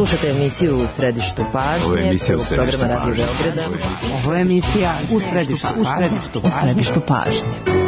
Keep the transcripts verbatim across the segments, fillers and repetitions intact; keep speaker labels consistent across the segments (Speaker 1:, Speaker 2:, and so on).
Speaker 1: Slušajte emisiju U središtu pažnje, prvog programa Radio Beograda.
Speaker 2: Ovo je emisija U središtu, u središtu, u središtu pažnje.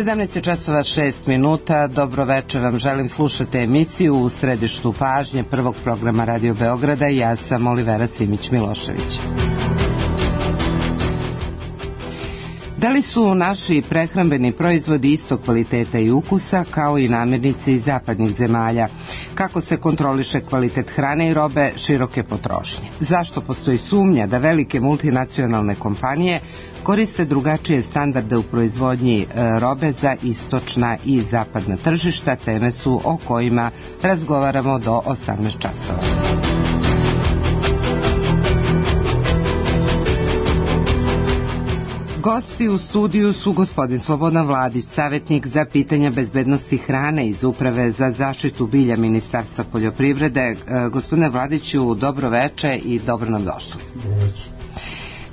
Speaker 2: sedamnaest časova šest minuta, dobro večer vam želim, slušate emisiju U središtu pažnje prvog programa Radio Beograda i ja sam Olivera Simić-Milošević. Da li su naši prehrambeni proizvodi istog kvaliteta i ukusa kao i namirnice iz zapadnih zemalja? Kako se kontroliše kvalitet hrane i robe široke potrošnje? Zašto postoji sumnja da velike multinacionalne kompanije koriste drugačije standarde u proizvodnji robe za istočna i zapadna tržišta? Teme su o kojima razgovaramo do osamnaest časova. Gosti u studiju su gospodin Slobodan Vladić, savjetnik za pitanja bezbednosti hrane iz Uprave za zaštitu bilja Ministarstva poljoprivrede. Gospodine Vladiću, dobro veče i dobro nam došli.
Speaker 3: Dobro veče.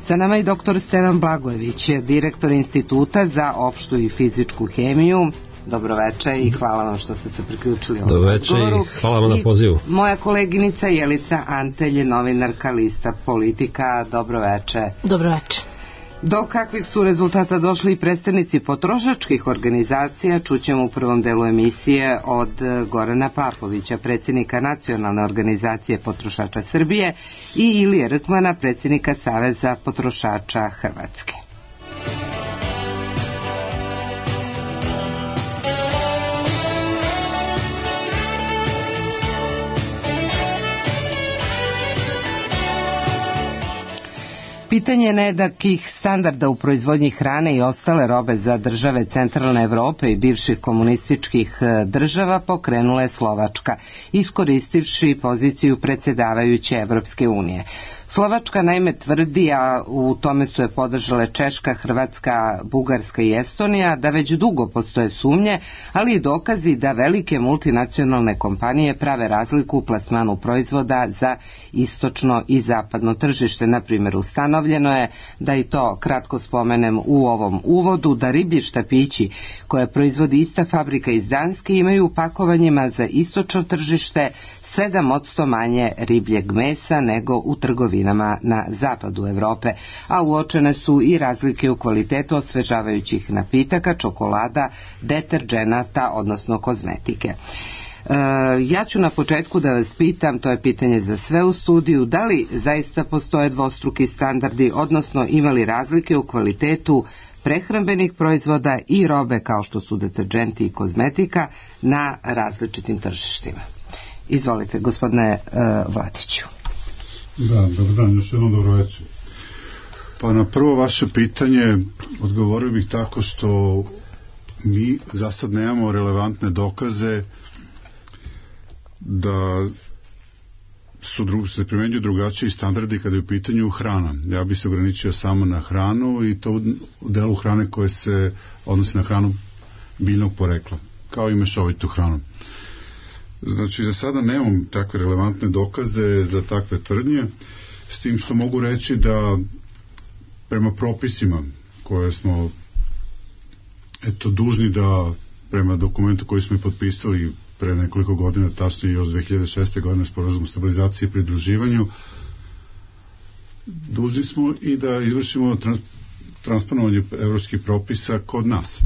Speaker 2: Sa nama je doktor Stevan Blagojević, direktor Instituta za opštu i fizičku hemiju. Dobro veče i hvala vam što ste se priključili ovom razgovoru.
Speaker 3: Dobro veče i hvala vam na pozivu.
Speaker 2: Moja koleginica Jelica Antelj, novinarka Lista Politika. Dobro veče.
Speaker 4: Dobro veče.
Speaker 2: Do kakvih su rezultata došli i predstavnici potrošačkih organizacija čućemo u prvom delu emisije od Gorana Papovića, predsjednika Nacionalne organizacije potrošača Srbije, i Ilije Rkmana, predsjednika Saveza potrošača Hrvatske. Pitanje nejednakih standarda u proizvodnji hrane i ostale robe za države centralne Evrope i bivših komunističkih država pokrenula je Slovačka, iskoristivši poziciju predsjedavajuće Evropske unije. Slovačka naime tvrdi, a u tome su je podržale Češka, Hrvatska, Bugarska i Estonija, da već dugo postoje sumnje, ali i dokazi da velike multinacionalne kompanije prave razliku u plasmanu proizvoda za istočno i zapadno tržište. Na primjer, ustanovljeno je, da i to kratko spomenem u ovom uvodu, da riblji štapići koje proizvodi ista fabrika iz Danske imaju u pakovanjima za istočno tržište sedam posto manje ribljeg mesa nego u trgovinama na zapadu Evrope, a uočene su i razlike u kvalitetu osvežavajućih napitaka, čokolada, deterdženata, odnosno kozmetike. E, ja ću na početku da vas pitam, to je pitanje za sve u studiju, da li zaista postoje dvostruki standardi, odnosno ima li razlike u kvalitetu prehrambenih proizvoda i robe kao što su deterdženti i kozmetika na različitim tržištima? Izvolite, gospodine uh, Vladiću.
Speaker 3: Da, dobro dan, još jednom dobro večer. Pa na prvo vaše pitanje odgovorio bih tako što mi za sad nemamo relevantne dokaze da su dru, se primenjuju drugačiji standardi kada je u pitanju hrana. Ja bih se ograničio samo na hranu i to u delu hrane koje se odnosi na hranu biljnog porekla, kao i mešovitu hranu. Znači, za sada nemam takve relevantne dokaze za takve tvrdnje, s tim što mogu reći da prema propisima koje smo eto dužni da prema dokumentu koji smo i potpisali pre nekoliko godina, tačnije još dve hiljade šeste. godine, Sporazum o stabilizaciji i pridruživanju, dužni smo i da izvršimo trans, transponovanje evropskih propisa kod nas.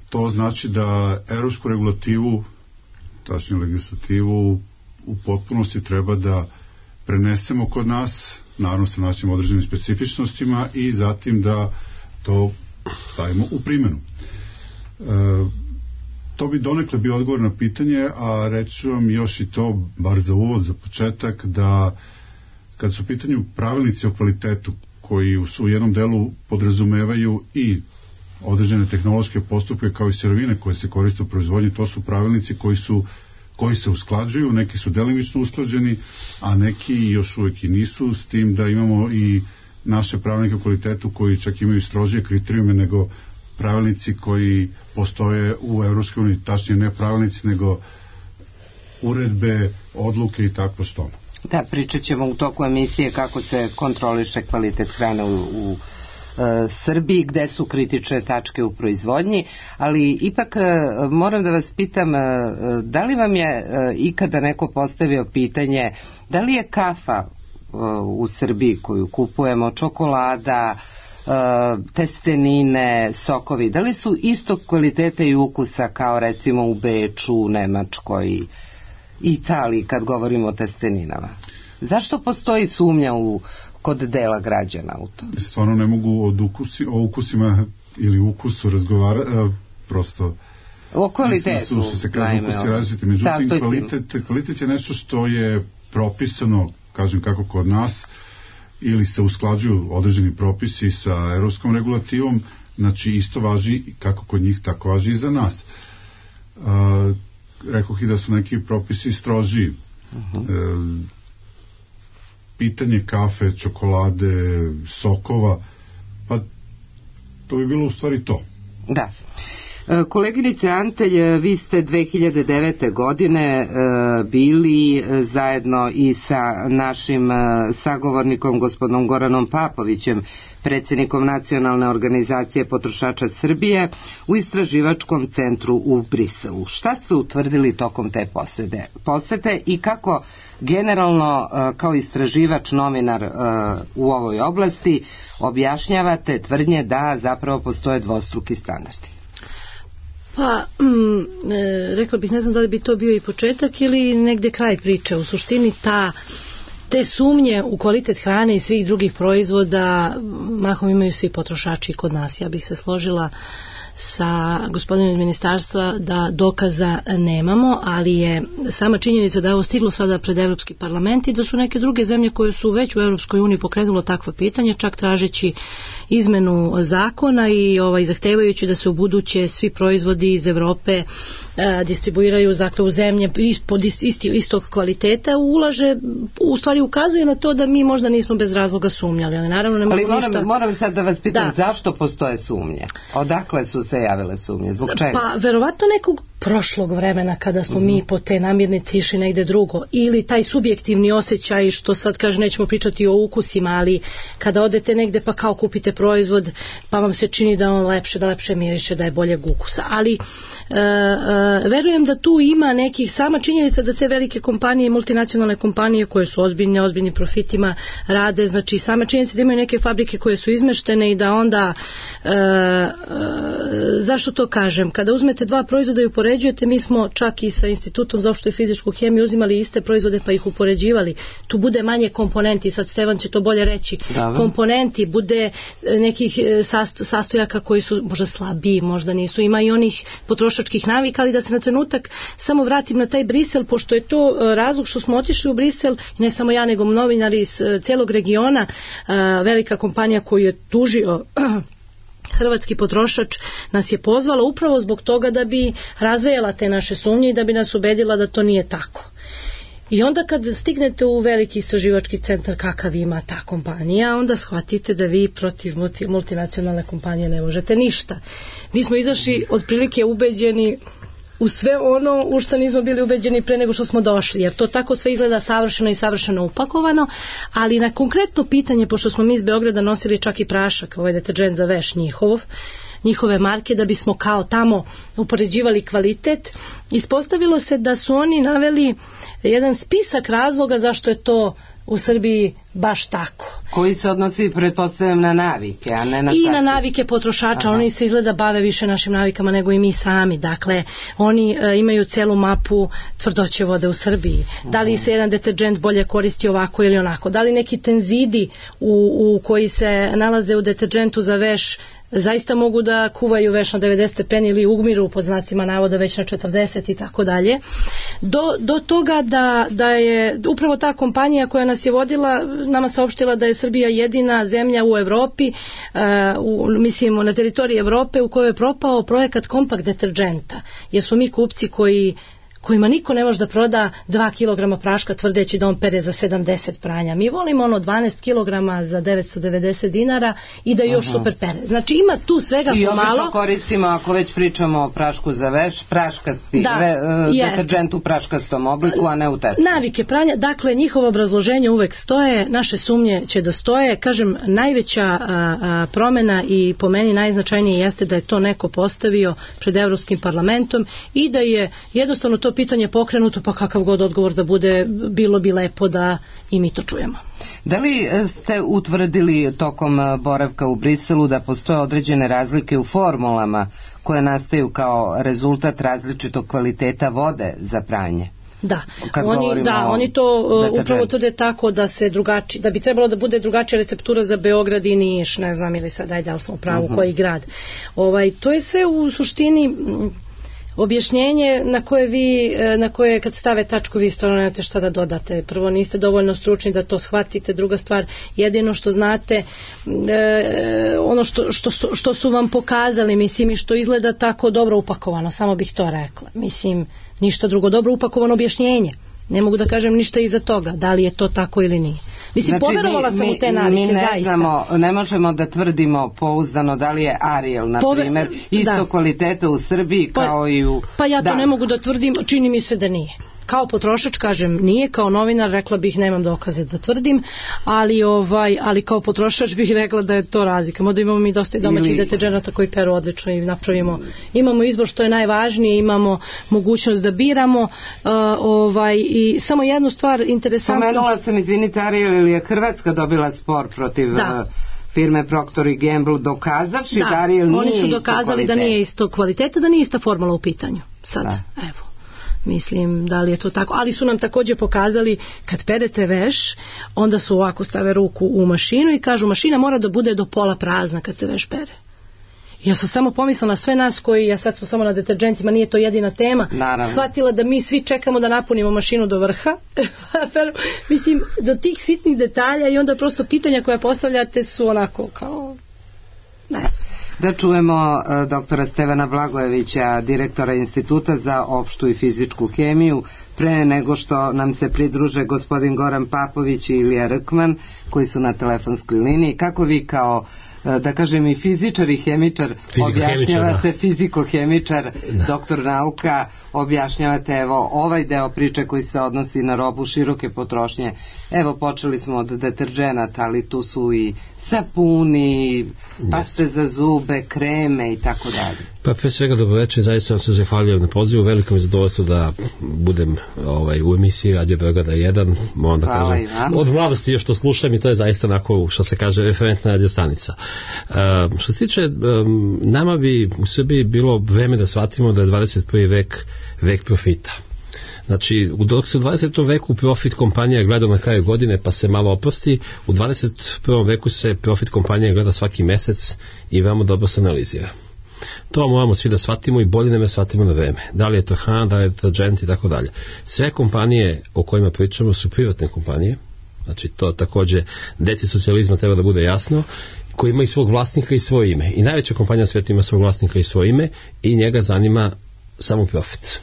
Speaker 3: To znači da evropsku regulativu, tačnije legislativu, u potpunosti treba da prenesemo kod nas, naravno sa našim određenim specifičnostima, i zatim da to stavimo u primjenu. E, to bi donekle bio odgovor na pitanje, a reću vam još i to, bar za uvod, za početak, da kad su u pitanju pravilnici o kvalitetu, koji su u jednom delu podrazumevaju i određene tehnološke postupke kao i sirovine koje se koriste u proizvodnji, to su pravilnici koji su koji se usklađuju, neki su delimično usklađeni, a neki još uvijek i nisu, s tim da imamo i naše pravilnike o kvalitetu koji čak imaju strožije kriterijume nego pravilnici koji postoje u Evropskoj uniji, tačnije ne pravilnici nego uredbe, odluke i tako što.
Speaker 2: Da, pričat ćemo u toku emisije kako se kontroliše kvalitet hrane u, u e, Srbiji, gde su kritične tačke u proizvodnji, ali ipak e, moram da vas pitam, e, da li vam je e, ikada neko postavio pitanje da li je kafa e, u Srbiji koju kupujemo, čokolada, e, testenine, sokovi, da li su istog kvaliteta i ukusa kao recimo u Beču, u Nemačkoj, Italiji, kad govorimo o testeninama? Zašto postoji sumnja u, kod dela građana u to?
Speaker 3: Stvarno ne mogu od ukusi, o ukusima ili ukusu razgovarati, prosto
Speaker 2: o kvalitetu
Speaker 3: su, su se kaže ukusi različiti, međutim kvalitet, kvalitet je nešto što je propisano, kažem kako kod nas, ili se usklađuju određeni propisi sa evropskom regulativom, znači isto važi kako kod njih, tako važi i za nas. A, rekoh i da su neki propisi strožiji. Uh-huh. E, pitanje kafe, čokolade, sokova, pa to bi bilo u stvari to.
Speaker 2: Da. Koleginice Antelj, vi ste dve hiljade devete. godine bili zajedno i sa našim sagovornikom gospodinom Goranom Papovićem, predsjednikom Nacionalne organizacije potrošača Srbije, u istraživačkom centru u Briselu. Šta ste utvrdili tokom te posete, posete i kako generalno kao istraživač, novinar u ovoj oblasti objašnjavate tvrdnje da zapravo postoje dvostruki standardi?
Speaker 4: Pa, mm, e, rekla bih, ne znam da li bi to bio i početak ili negde kraj priče. U suštini ta, te sumnje u kvalitet hrane i svih drugih proizvoda mahom imaju svi potrošači kod nas. Ja bih se složila sa gospodinom iz ministarstva da dokaza nemamo, ali je sama činjenica da je ovo stiglo sada pred Evropski parlament i da su neke druge zemlje koje su već u Evropskoj uniji pokrenulo takvo pitanje, čak tražeći izmenu zakona i ovaj, zahtevajući da se u buduće svi proizvodi iz Evrope e, distribuiraju dakle, u zemlje ispod isti, istog kvaliteta, ulaže, u stvari ukazuje na to da mi možda nismo bez razloga sumnjali, ali naravno ne
Speaker 2: ali
Speaker 4: moram,
Speaker 2: ništa... moram sad da vas pitam,
Speaker 4: da.
Speaker 2: Zašto postoje sumnje? Odakle su se javile sumnje? Zbog čega?
Speaker 4: Pa verovatno nekog prošlog vremena kada smo mm-hmm. mi po te namirnice išli negde drugo, ili taj subjektivni osjećaj što sad kaže nećemo pričati o ukusima, ali kada odete negde pa kao kupite proizvod pa vam se čini da on lepše, da lepše miriše, da je boljeg ukusa, ali e, e, verujem da tu ima nekih, sama činjenica da te velike kompanije, multinacionalne kompanije koje su ozbiljne, ozbiljnim profitima rade, znači sama činjenica da imaju neke fabrike koje su izmeštene i da onda e, e, zašto to kažem, kada uzmete dva proizvoda i upoređujete, mi smo čak i sa Institutom za opštu i fizičku hemiju uzimali iste proizvode pa ih upoređivali, tu bude manje komponenti, sad Stevan će to bolje reći, da, komponenti, bude nekih sastojaka koji su možda slabiji, možda nisu, ima i onih potrošačkih navika, ali da se na trenutak samo vratim na taj Brisel, pošto je to razlog što smo otišli u Brisel, ne samo ja nego novinari iz celog regiona, velika kompanija koju je tužio hrvatski potrošač nas je pozvala upravo zbog toga da bi razvejala te naše sumnje i da bi nas ubedila da to nije tako. I onda kad stignete u veliki istraživački centar kakav ima ta kompanija, onda shvatite da vi protiv multi, multinacionalne kompanije ne možete ništa. Mi smo izašli otprilike ubeđeni u sve ono u što nismo bili ubeđeni pre nego što smo došli, jer to tako sve izgleda savršeno i savršeno upakovano, ali na konkretno pitanje, pošto smo mi iz Beograda nosili čak i prašak, ovaj deterđent za veš njihov, njihove marke, da bismo kao tamo upoređivali kvalitet, ispostavilo se da su oni naveli jedan spisak razloga zašto je to u Srbiji baš tako.
Speaker 2: Koji se odnosi, pretpostavljam, na navike, a ne na
Speaker 4: I
Speaker 2: sasvim.
Speaker 4: na navike potrošača. Aha. Oni se izgleda bave više našim navikama nego i mi sami. Dakle, oni e, imaju celu mapu tvrdoće vode u Srbiji. Aha. Da li se jedan deterđent bolje koristi ovako ili onako? Da li neki tenzidi u, u koji se nalaze u deterđentu za veš zaista mogu da kuvaju veš na devedeset stepeni ili umiru pod znacima navoda već na četrdeset i tako dalje. Do, do toga da, da je upravo ta kompanija koja nas je vodila, nama saopštila da je Srbija jedina zemlja u Evropi, uh, u, mislim na teritoriji Evrope u kojoj je propao projekat kompakt deterđenta. Jer smo mi kupci koji kojima niko ne može da proda dva kilograma praška tvrdeći da on pere za sedamdeset pranja. Mi volimo ono dvanaest kilograma za devetsto devedeset dinara i da još Aha. super pere. Znači ima tu svega
Speaker 2: I
Speaker 4: pomalo. I
Speaker 2: obično koristimo, ako već pričamo o prašku za veš, praškasti,
Speaker 4: da,
Speaker 2: ve, deterđent u praškastom obliku, a ne u tečnom.
Speaker 4: Navike pranja, dakle njihovo obrazloženje uvek stoje, naše sumnje će da stoje. Kažem, najveća a, a, promena i po meni najznačajnije jeste da je to neko postavio pred Evropskim parlamentom i da je jednostavno to pitanje pokrenuto, pa kakav god odgovor da bude, bilo bi lepo da i mi to čujemo.
Speaker 2: Da li ste utvrdili tokom boravka u Briselu da postoje određene razlike u formulama koje nastaju kao rezultat različitog kvaliteta vode za pranje?
Speaker 4: Da, oni, da oni to uh, upravo tvrde tako da se drugači, da bi trebalo da bude drugačija receptura za Beograd i Niš, ne znam ili sad, ajde, ali smo u pravu uh-huh. koji grad. Ovaj, to je sve u suštini objašnjenje na koje vi, na koje kad stave tačku vi stvarno nemate šta da dodate. Prvo, niste dovoljno stručni da to shvatite. Druga stvar, jedino što znate, e, ono što, što, su, što su vam pokazali, mislim, i što izgleda tako dobro upakovano, samo bih to rekla. Mislim, ništa drugo, dobro upakovano objašnjenje. Ne mogu da kažem ništa iza toga, da li je to tako ili nije. Mislim, znači, poverovala sam
Speaker 2: mi,
Speaker 4: u te navike,
Speaker 2: mi ne
Speaker 4: zaista.
Speaker 2: Znamo, ne možemo da tvrdimo pouzdano da li je Ariel, na
Speaker 4: Pove,
Speaker 2: primjer, isto da. kvaliteta u Srbiji
Speaker 4: pa,
Speaker 2: kao i u...
Speaker 4: Pa ja to
Speaker 2: da.
Speaker 4: ne mogu da tvrdim, čini mi se da nije. Kao potrošač kažem nije, kao novinar rekla bih nemam dokaze da tvrdim, ali ovaj ali kao potrošač bih rekla da je to razlika. Možda imamo mi dosta domaćih Ili... deterđenata koji peru odlično i napravimo. Imamo izbor što je najvažnije, imamo mogućnost da biramo uh, ovaj i samo jednu stvar interesantnu.
Speaker 2: Pomenula sam, izvinite, Ariel, ili je Hrvatska dobila spor protiv
Speaker 4: da.
Speaker 2: Uh, firme Procter and Gamble dokazavši da, da Ariel nije
Speaker 4: oni su dokazali da nije isto kvaliteta, da nije ista formula u pitanju. Sad, da. evo. Mislim, da li je to tako, ali su nam također pokazali kad perete veš, onda su ovako stave ruku u mašinu i kažu mašina mora da bude do pola prazna kad se veš pere. Ja sam samo pomislila na sve nas koji, ja sad smo samo na deterđentima, nije to jedina tema,
Speaker 2: Naravno.
Speaker 4: shvatila da mi svi čekamo da napunimo mašinu do vrha, mislim, do tih sitnih detalja i onda prosto pitanja koja postavljate su onako kao, ne znam.
Speaker 2: Da čujemo uh, doktora Stevana Blagojevića, direktora Instituta za opštu i fizičku hemiju, pre nego što nam se pridruže gospodin Goran Papović i Ilija Rkman, koji su na telefonskoj liniji. Kako vi kao, uh, da kažem, i fizičar i hemičar objašnjavate, fiziko-hemičar, doktor nauka, objašnjavate evo ovaj deo priče koji se odnosi na robu široke potrošnje. Evo, počeli smo od deterđenata, ali tu su i sapuni, paste za zube, kreme i tako dalje.
Speaker 5: Pa pre svega dobro večer, zaista vam se zahvaljujem na pozivu, veliko mi zadovoljstvo da budem ovaj, u emisiji Radio Beograda jedan, moram da
Speaker 2: Hvala
Speaker 5: kažem, od mladosti još što slušam i to je zaista onako, što se kaže, referentna radio stanica. Um, što se tiče, um, nama bi u Srbiji bilo vreme da shvatimo da je dvadeset prvi vek vek profita. Znači, dok se u dvadesetom veku profit kompanija gleda na kraju godine pa se malo oprosti, u dvadeset prvom veku se profit kompanija gleda svaki mesec i veoma dobro se analizira. To moramo svi da shvatimo i bolje ne me shvatimo na vreme. Da li je to hrana, da li je deterđent i tako dalje. Sve kompanije o kojima pričamo su privatne kompanije, znači to također deci socijalizma treba da bude jasno, koji ima i svog vlasnika i svoje ime. I najveća kompanija na svijetu ima svog vlasnika i svoje ime i njega zanima samo profit.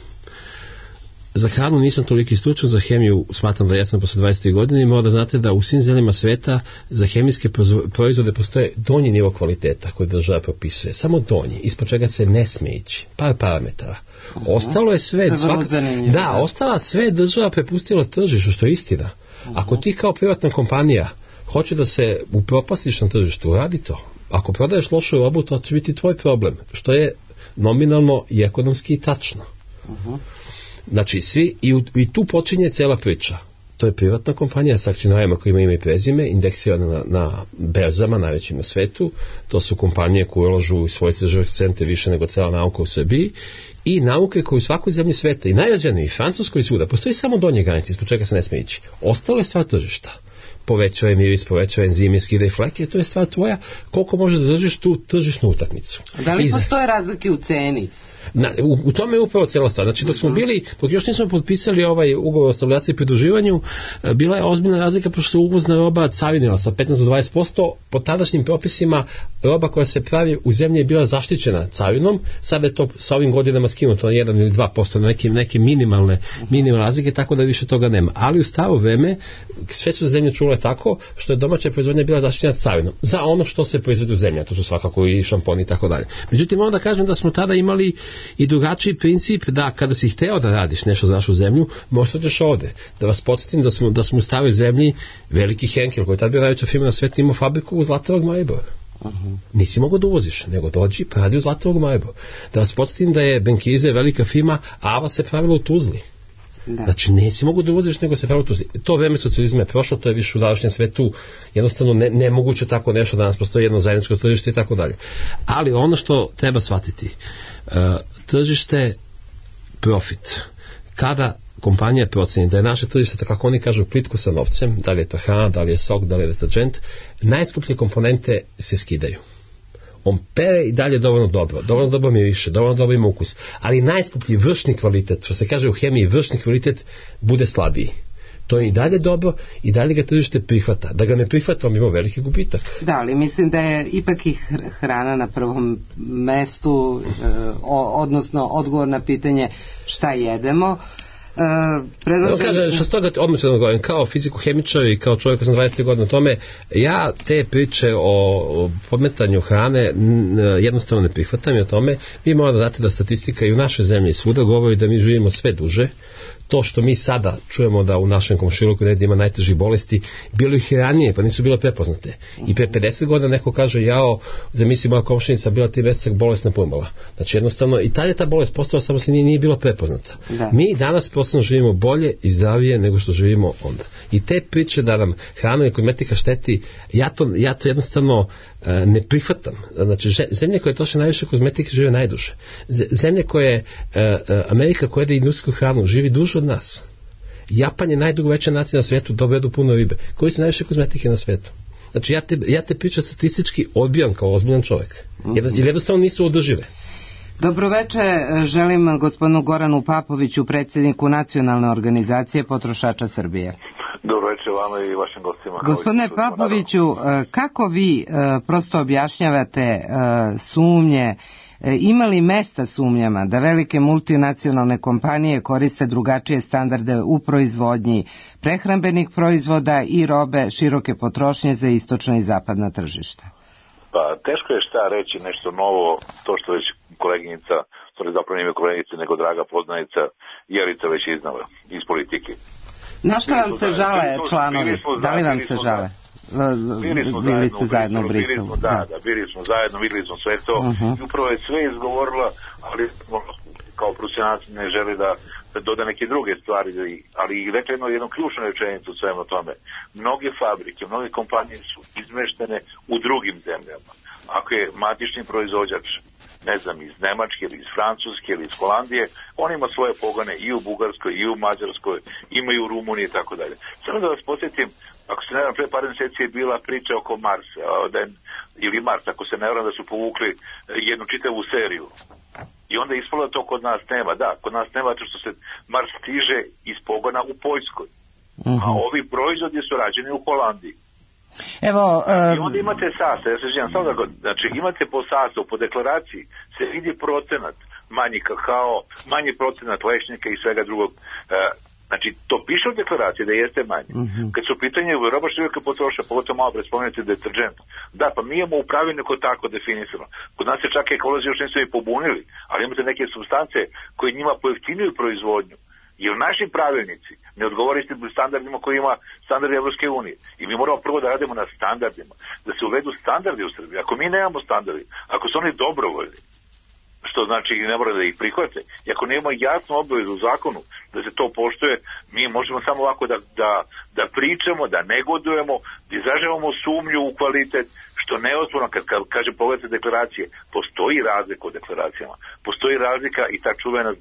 Speaker 5: Za hranu nisam toliki stručan, za hemiju smatram da jesam posle dvadeset godine i mora da znate da u svim zemljama sveta za hemijske proizvode postoje donji nivo kvaliteta koji država propisuje. Samo donji, ispod čega se ne smije ići. Par parametara. Ostalo je sve, svaka, da, ostala sve država prepustila tržištu, što je istina. Ako ti kao privatna kompanija hoće da se upropastiš na tržištu, radi to. Ako prodaješ lošu robu, to će biti tvoj problem, što je nominalno i ekonomski tačno. Uh-huh. Znači, svi, i, u, i tu počinje cela priča. To je privatna kompanija sa akcionarima koji imaju ime i prezime, indeksirana na, na berzama, najvećim na svetu. To su kompanije koje ulažu u svoje istraživačke centre više nego cela nauka u Srbiji i nauke koje u svakoj zemlji sveta i najrađeniji, i Francuskoj i svuda, postoji samo donje granice ispod čega se ne smije ići. Ostalo je stvar tržišta. Povećava miris, povećava enzime, skida i fleke, to je stvar tvoja koliko možeš da držiš tu tržišnu utakmicu.
Speaker 2: Da li postoje razlike u ceni?
Speaker 5: Na, u, u tome je upravo cijela stvar. Znači dok smo bili, dok još nismo potpisali ovaj ugovor o stabilizaciji i pridruživanju, bila je ozbiljna razlika pošto se uvozna roba carinila sa petnaest do dvadeset posto. Po tadašnjim propisima roba koja se pravi u zemlji je bila zaštićena carinom, sada je to sa ovim godinama skinuto na jedan ili dva posto, na neke, neke minimalne, minimalne razlike, tako da više toga nema. Ali u staro vreme sve su zemlje čule tako što je domaća proizvodnja bila zaštićena carinom za ono što se proizvodi u zemlji, to su svakako i šamponi i tako dalje. Međutim, onda kažem da smo tada imali i drugačiji princip da kada si hteo da radiš nešto za našu zemlju, možda ćeš ovde. Da vas podsjetim da smo, da smo u staroj zemlji veliki Henkel, koji je tada bio najveća firma na svetu, imao fabriku u Zlatorak Maribor. Uh-huh. Nisi mogao da uvoziš, nego dođi pa radi u Zlatorak Maribor. Da vas podsjetim da je Benkize velika firma, Ava se pravila u Tuzli. Da. Znači nisi mogu da uvoziš, nego se pravilo u Tuzli. To vreme socijalizma je prošlo, to je više u današnjem svetu jednostavno ne, nemoguće tako nešto, danas postoji jedno zajedničko tržište i tako dalje. Ali ono što treba shvatiti, uh, tržište profit. Kada kompanija proceni da je naše tržište, tako kako oni kažu, plitko sa novcem, da li je to hrana, da li je sok, da li je deterđent, najskuplje komponente se skidaju. On pere i dalje dovoljno dobro, dovoljno dobro miriše, dovoljno dobro ima ukus, ali najskuplji vršni kvalitet, što se kaže u hemiji, vršni kvalitet bude slabiji. To je i dalje dobro i dalje ga tržište prihvata. Da ga ne prihvata, on ima veliki gubitak.
Speaker 2: Da, ali mislim da je ipak i hrana na prvom mestu, odnosno odgovor na pitanje šta jedemo. Uh, predlažem...
Speaker 5: Kaže, što s toga odmah ću da govorim, kao fiziko-hemičar i kao čovjek koji sam dvadeset godina o tome, ja te priče o podmetanju hrane jednostavno ne prihvatam i o tome. Vi morate da znate da statistika i u našoj zemlji svuda govori da mi živimo sve duže. To što mi sada čujemo da u našem komšiluku negdje ima najtežih bolesti, bilo ih i ranije, pa nisu bile prepoznate. I pre pedeset godina neko kaže, jao, zamisli moja komšinica bila tri meseca bolesna pumbala. Znači jednostavno, i tada je ta bolest postala, samo se nije, nije bila prepoznata. Da. Mi danas posebno živimo bolje i zdravije nego što živimo onda. I te priče da nam hrana i kozmetika šteti, ja to, ja to jednostavno e, ne prihvatam. Znači, zemlje koje troše najviše kozmetike žive najduže. Zemlje koje, e, Amerika koja jede industrijsku hranu, živi duže od nas. Japan je najdugo veća nacija na svetu, dovedu puno ribe. Koji su najviše kozmetike na svetu? Znači, ja te, ja te pričam statistički odbijam kao ozbiljan čovjek. Jer jednostavno nisu održive.
Speaker 2: Dobroveče, želim gospodinu Goranu Papoviću, predsjedniku Nacionalne organizacije potrošača Srbije.
Speaker 6: Dobroveče vama i vašim gostima.
Speaker 2: Gospodine Papoviću, kako vi prosto objašnjavate sumnje, ima li mesta sumnjama da velike multinacionalne kompanije koriste drugačije standarde u proizvodnji prehrambenih proizvoda i robe široke potrošnje za istočna i zapadna tržišta?
Speaker 6: Pa teško je šta reći nešto novo, to što već koleginica, stvari zapravo nije koleginica nego draga poznanica Jelica već iznala iz politike.
Speaker 2: Na što vam se žale članovi? Da li vam se žale? Bili ste zajedno u Briselu.
Speaker 6: Da, da, bili smo zajedno, videli smo sve to i upravo je sve izgovorila, ali kao profesionalci ne želi da doda neke druge stvari, ali i rekla jednu, jednu ključnu rečenicu u svemu tome. Mnoge fabrike, mnoge kompanije su izmeštene u drugim zemljama. Ako je matični proizvođač, ne znam, iz Nemačke ili iz Francuske ili iz Holandije, on ima svoje pogone i u Bugarskoj i u Mađarskoj, ima i u Rumuniji i tako dalje. Samo da vas podsjetim, ako se ne vjerujem, pre par mjeseci je bila priča oko Marsa, da je, ili Mars, ako se ne vjerujem da su povukli jednu čitavu seriju. I onda je ispalo to kod nas nema. Da, kod nas nema to što se Mars stiže iz pogona u Poljskoj. Uh-huh. A ovi proizvodi su rađeni u Holandiji.
Speaker 2: Evo, um...
Speaker 6: I onda imate sastav, ja se želim samo da go, znači imate po sastavu, po deklaraciji se vidi procenat manji kakao, manji procenat lešnika i svega drugog. Uh, znači, to piše u deklaraciji da jeste manje. Uh-huh. Kad su pitanje u roba široke potrošnje, pogotovo malo prespomenuti deterđent. Da, pa mi imamo u pravilniku tako definisano. Kod nas se čak ekolozi još nisu i pobunili, ali imate neke supstance koje njima pojeftinjuju proizvodnju. Jer naši pravilnici ne odgovore istim standardima koji ima standardi Evropske unije. I mi moramo prvo da radimo na standardima. Da se uvedu standardi u Srbiji. Ako mi nemamo standardi, ako su oni dobrovoljni, što znači ne mora da ih prihvate. I ako nemamo jasnu obavezu u zakonu da se to poštuje, mi možemo samo ovako da, da, da pričamo, da negodujemo, da izražavamo sumnju u kvalitet, što neozborno, kad, kad kažem pogledajte deklaracije, postoji razlika u deklaracijama. Postoji razlika i ta čuvena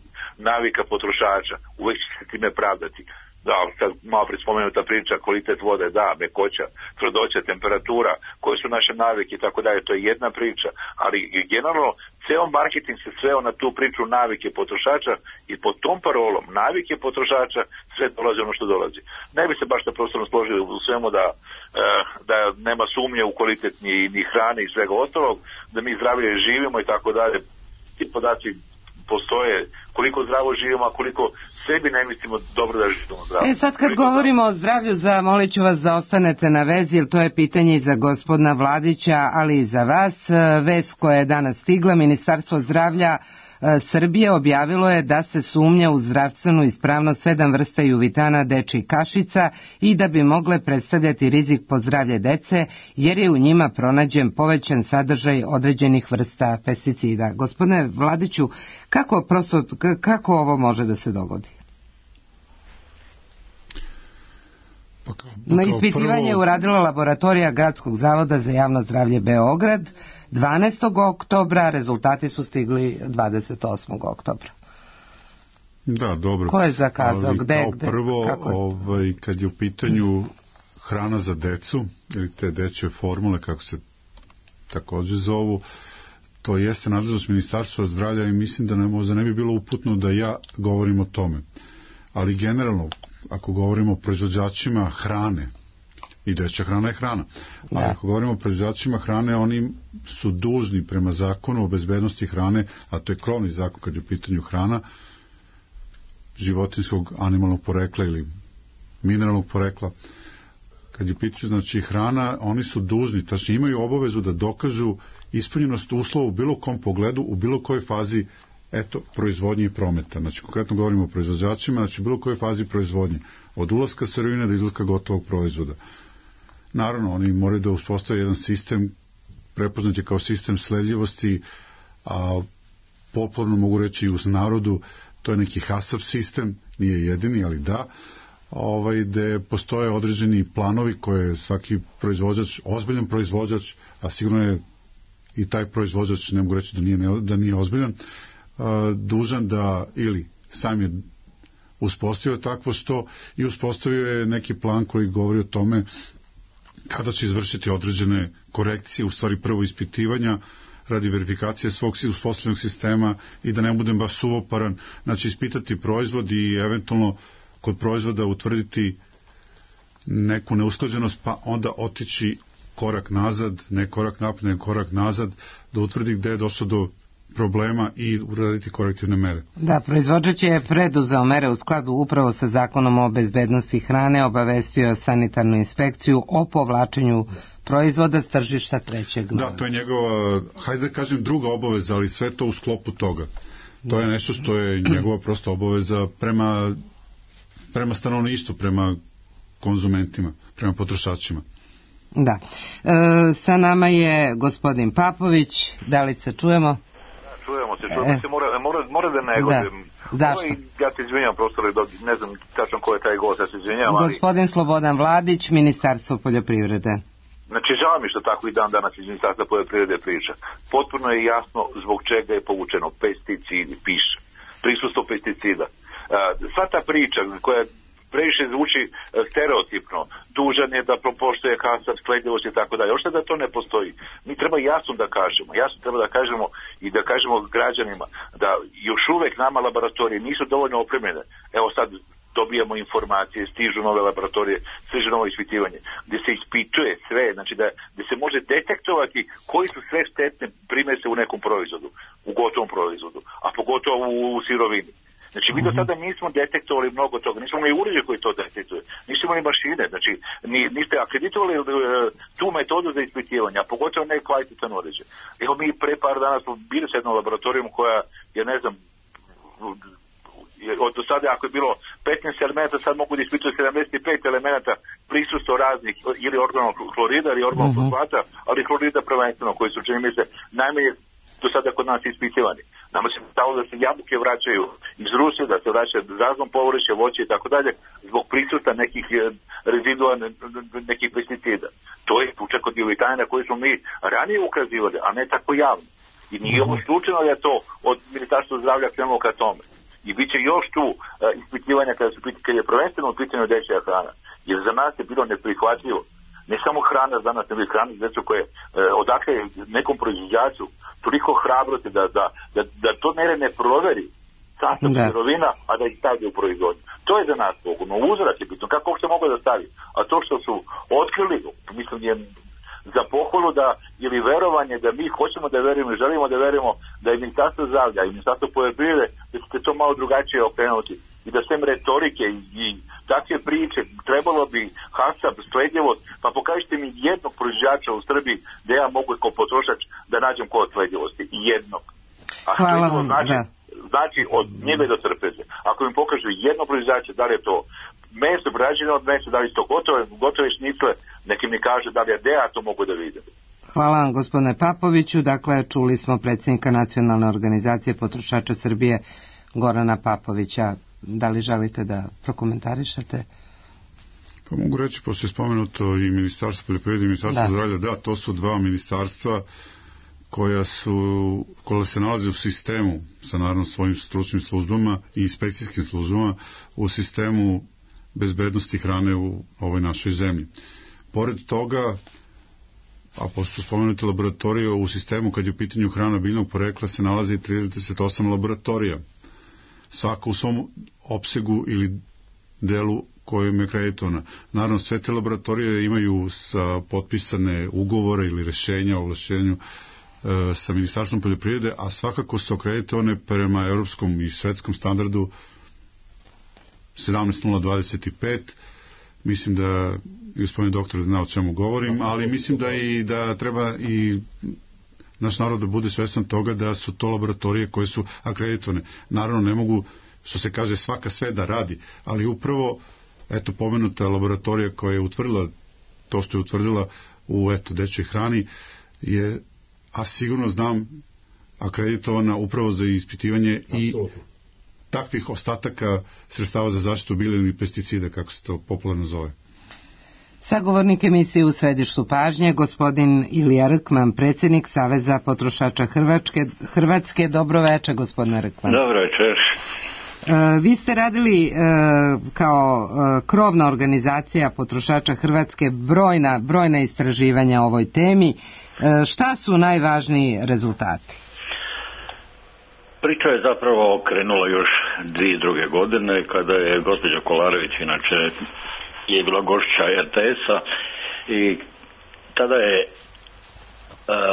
Speaker 6: navika potrošača. Uvek će se time pravdati. Da, sad malo prije spomenuta priča, kvalitet vode, da, mekoća, tvrdoća, temperatura, koje su naše navike i tako dalje, to je jedna priča, ali generalno ceo marketing se sveo na tu priču navike potrošača i pod tom parolom navike potrošača sve dolazi ono što dolazi. Ne bi se baš da prostorno složili u svemu da, da nema sumnje u kvalitet ni, ni hrane i svega ostalog, da mi zdravlje živimo i tako dalje. Ti podaci postoje, koliko zdravo živimo, a koliko sebi ne mislimo dobro da živimo zdravo.
Speaker 2: E sad kad govorimo o zdravlju, zamolit ću vas da ostanete na vezi, jer to je pitanje i za gospodina Vladića, ali i za vas. Vest koja je danas stigla, Ministarstvo zdravlja Srbije objavilo je da se sumnja u zdravstvenu ispravnost sedam vrsta juvitana dečjih kašica i da bi mogle predstavljati rizik po zdravlje dece, jer je u njima pronađen povećan sadržaj određenih vrsta pesticida. Gospodine Vladiću, kako, prosto, kako ovo može da se dogodi?
Speaker 3: Pa kao,
Speaker 2: Na ispitivanje je uradila laboratorija Gradskog zavoda za javno zdravlje Beograd dvanaestog oktobra, rezultati su stigli dvadeset osmog oktobra.
Speaker 3: Da, dobro.
Speaker 2: Ko je zakazao?
Speaker 3: Ali,
Speaker 2: gde,
Speaker 3: kao
Speaker 2: gde,
Speaker 3: prvo, ovaj, kad je u pitanju hrana za decu, ili te dečje formule, kako se takođe zovu, to jeste nadležnost Ministarstva zdravlja i mislim da ne, možda ne bi bilo uputno da ja govorim o tome. Ali generalno, ako govorimo o proizvođačima hrane, i dečja hrana je hrana, ali ja. ako govorimo o proizvođačima hrane, oni su dužni prema zakonu o bezbednosti hrane, a to je krovni zakon kad je u pitanju hrana, životinjskog, animalnog porekla ili mineralnog porekla, kad je u pitanju znači hrana, oni su dužni, tačnije imaju obavezu da dokažu ispunjenost uslova u bilo kom pogledu, u bilo kojoj fazi eto, proizvodnje i prometa. Znači, konkretno govorimo o proizvođačima, znači bilo kojoj fazi proizvodnje, od ulaska sirovine do izlaska gotovog proizvoda. Naravno, oni moraju da uspostave jedan sistem, prepoznat je kao sistem sledljivosti, a popularno mogu reći i uz narodu, to je neki HACCP sistem, nije jedini, ali da, ovaj, gde postoje određeni planovi koje svaki proizvođač, ozbiljan proizvođač, a sigurno je i taj proizvođač, ne mogu reći da nije, da nije ozbiljan, dužan da ili sam je uspostavio takvo što i uspostavio je neki plan koji govori o tome kada će izvršiti određene korekcije, u stvari prvo ispitivanja radi verifikacije svog uspostavljenog sistema i da ne budem baš suvoparan, znači ispitati proizvod i eventualno kod proizvoda utvrditi neku neusklađenost pa onda otići korak nazad, ne korak napred, ne korak nazad, da utvrdi gde je došlo do problema i uraditi korektivne mere.
Speaker 2: Da, proizvođač je preduzeo mere u skladu upravo sa zakonom o bezbednosti hrane, obavestio sanitarnu inspekciju o povlačenju proizvoda s tržišta trećeg.
Speaker 3: Da, to je njegova, hajde da kažem, druga obaveza, ali sve to u sklopu toga. To je nešto što je njegova prosta obaveza prema, prema stanovništvu, prema konzumentima, prema potrošačima.
Speaker 2: Da. E, sa nama je gospodin Papović, da li se čujemo?
Speaker 6: Čujemo se, čujemo e. se, mora, mora, mora da ne godem.
Speaker 2: Da. Zašto? Ovo,
Speaker 6: ja se izvinjam, prosto ne znam tačno ko je taj gost, ja se izvinjam.
Speaker 2: Gospodin ali... Slobodan Vladić, Ministarstvo poljoprivrede.
Speaker 6: Znači, žao mi što tako i dan danas iz Ministarstva poljoprivrede priča. Potpuno je jasno zbog čega je povučeno pesticidi, piše. Prisustvo pesticida. Sva ta priča koja previše zvuči stereotipno, dužan je da propoštuje HACCP, sledljivost i tako dalje. Ošte da to ne postoji. Mi treba jasno da kažemo, jasno treba da kažemo i da kažemo građanima da još uvek nama laboratorije nisu dovoljno opremljene. Evo sad dobijamo informacije, stižu nove laboratorije, stižu novo ispitivanje, gdje se ispituje sve, znači da gdje se može detektovati koji su sve štetne primese u nekom proizvodu, u gotovom proizvodu, a pogotovo u sirovini. Znači, mi do sada nismo detektovali mnogo toga, nismo imali uređaj koji to detektuje, nismo imali mašine, znači, niste akreditovali tu metodu za ispitivanje, a pogotovo ne kvalitetan uređaj. Evo, mi pre par dana smo bili s jednom laboratorijom koja, ja ne znam, od do sada ako je bilo petnaest elemenata, sad mogu da ispituju sedamdeset pet elemenata prisustvo raznih ili organog klorida ili organog fosfata, ali klorida prvenstveno, koji su, čini mi se, najmanje do sada kod nas ispitivani. Nama se stalo da se jabuke vraćaju iz Rusije, da se vraćaju raznom povrće, voće i tako dalje, zbog prisuta nekih rezidua, nekih pesticida. To je tuča kod divljina na koju smo mi ranije ukazivali, a ne tako javno. I nije ovo slučajno da je to od Ministarstva zdravlja krenulo ka tome. I bit će još tu uh, ispitivanja kada, su, kada je prvenstveno u pitanju dečja hrana. Jer za nas je bilo neprihvatljivo. Ne samo hrana za nas, nego i hrana za djecu koje uh, odakle nekom proizvođaču toliko hrabrosti da, da, da, da to nere ne proveri sastav sirovina, a da ih stavlja u proizvodnju. To je za nas pogubno. Uzrak je bitno. Kako uopšte mogu da stavi? A to što su otkrili, mislim je za pohvalu da, ili verovanje da mi hoćemo da verujemo i želimo da verujemo da je Ministarstvo zdravlja i Ministarstvo poljoprivrede da ćete to malo drugačije okrenuti i da sem retorike i, i takve priče trebalo bi hasab, sledljivost, pa pokažite mi jednog proizvođača u Srbiji da ja mogu kao potrošač da nađem kod sledljivosti. Jednog. A
Speaker 2: Hvala vam,
Speaker 6: znači,
Speaker 2: da.
Speaker 6: znači od njive do trpeze. Ako mi pokažu jednog proizvođača, da li je to meso, praženo od mesa, da li je to gotove, gotove šnicle, neki mi kaže da li je ja to mogu da vidim.
Speaker 2: Hvala vam, gospodine Papoviću. Dakle, čuli smo predsjednika Nacionalne organizacije potrošača Srbije, Gorana Papovića. Da li želite da prokomentarišete?
Speaker 3: Pa mogu reći, pošto je spomenuto i Ministarstvo poljoprivrede i Ministarstvo da. zdravlja, da, to su dva ministarstva koja su, koja se nalaze u sistemu sa naravno svojim stručnim službama i inspekcijskim službama u sistemu bezbednosti hrane u ovoj našoj zemlji. Pored toga, a pošto spomenuti laboratorije u sistemu kad je u pitanju hrana biljnog porekla se nalazi trideset osam laboratorija. Svaka u svom opsegu ili delu kojim je akreditovana. Naravno, sve te laboratorije imaju sa potpisane ugovore ili rešenja o ovlašćenju e, sa Ministarstvom poljoprivrede, a svakako su akreditovane prema evropskom i svetskom standardu sedamnaest nula dvadeset pet. Mislim da gospodin doktor zna o čemu govorim, ali mislim da i da treba i naš narod da bude svestan toga da su to laboratorije koje su akreditovane. Naravno, ne mogu, što se kaže, svaka sve da radi, ali upravo, eto, pomenuta laboratorija koja je utvrdila to što je utvrdila u, eto, dečjoj hrani je, a sigurno znam, akreditovana upravo za ispitivanje i takvih ostataka sredstava za zaštitu bilja ili pesticida, kako se to popularno zove.
Speaker 2: Sagovornik emisije U središtu pažnje, gospodin Ilija Rkman, predsjednik Saveza potrošača Hrvatske. Hrvatske. Dobro večer, gospodine Rkman.
Speaker 7: Dobro večer.
Speaker 2: E, vi ste radili e, kao e, krovna organizacija potrošača Hrvatske brojna, brojna istraživanja o ovoj temi. E, šta su najvažniji rezultati?
Speaker 7: Priča je zapravo krenula još dvije druge godine kada je gospođa Kolarević, inače je bila gošća er te es-a, i tada je e,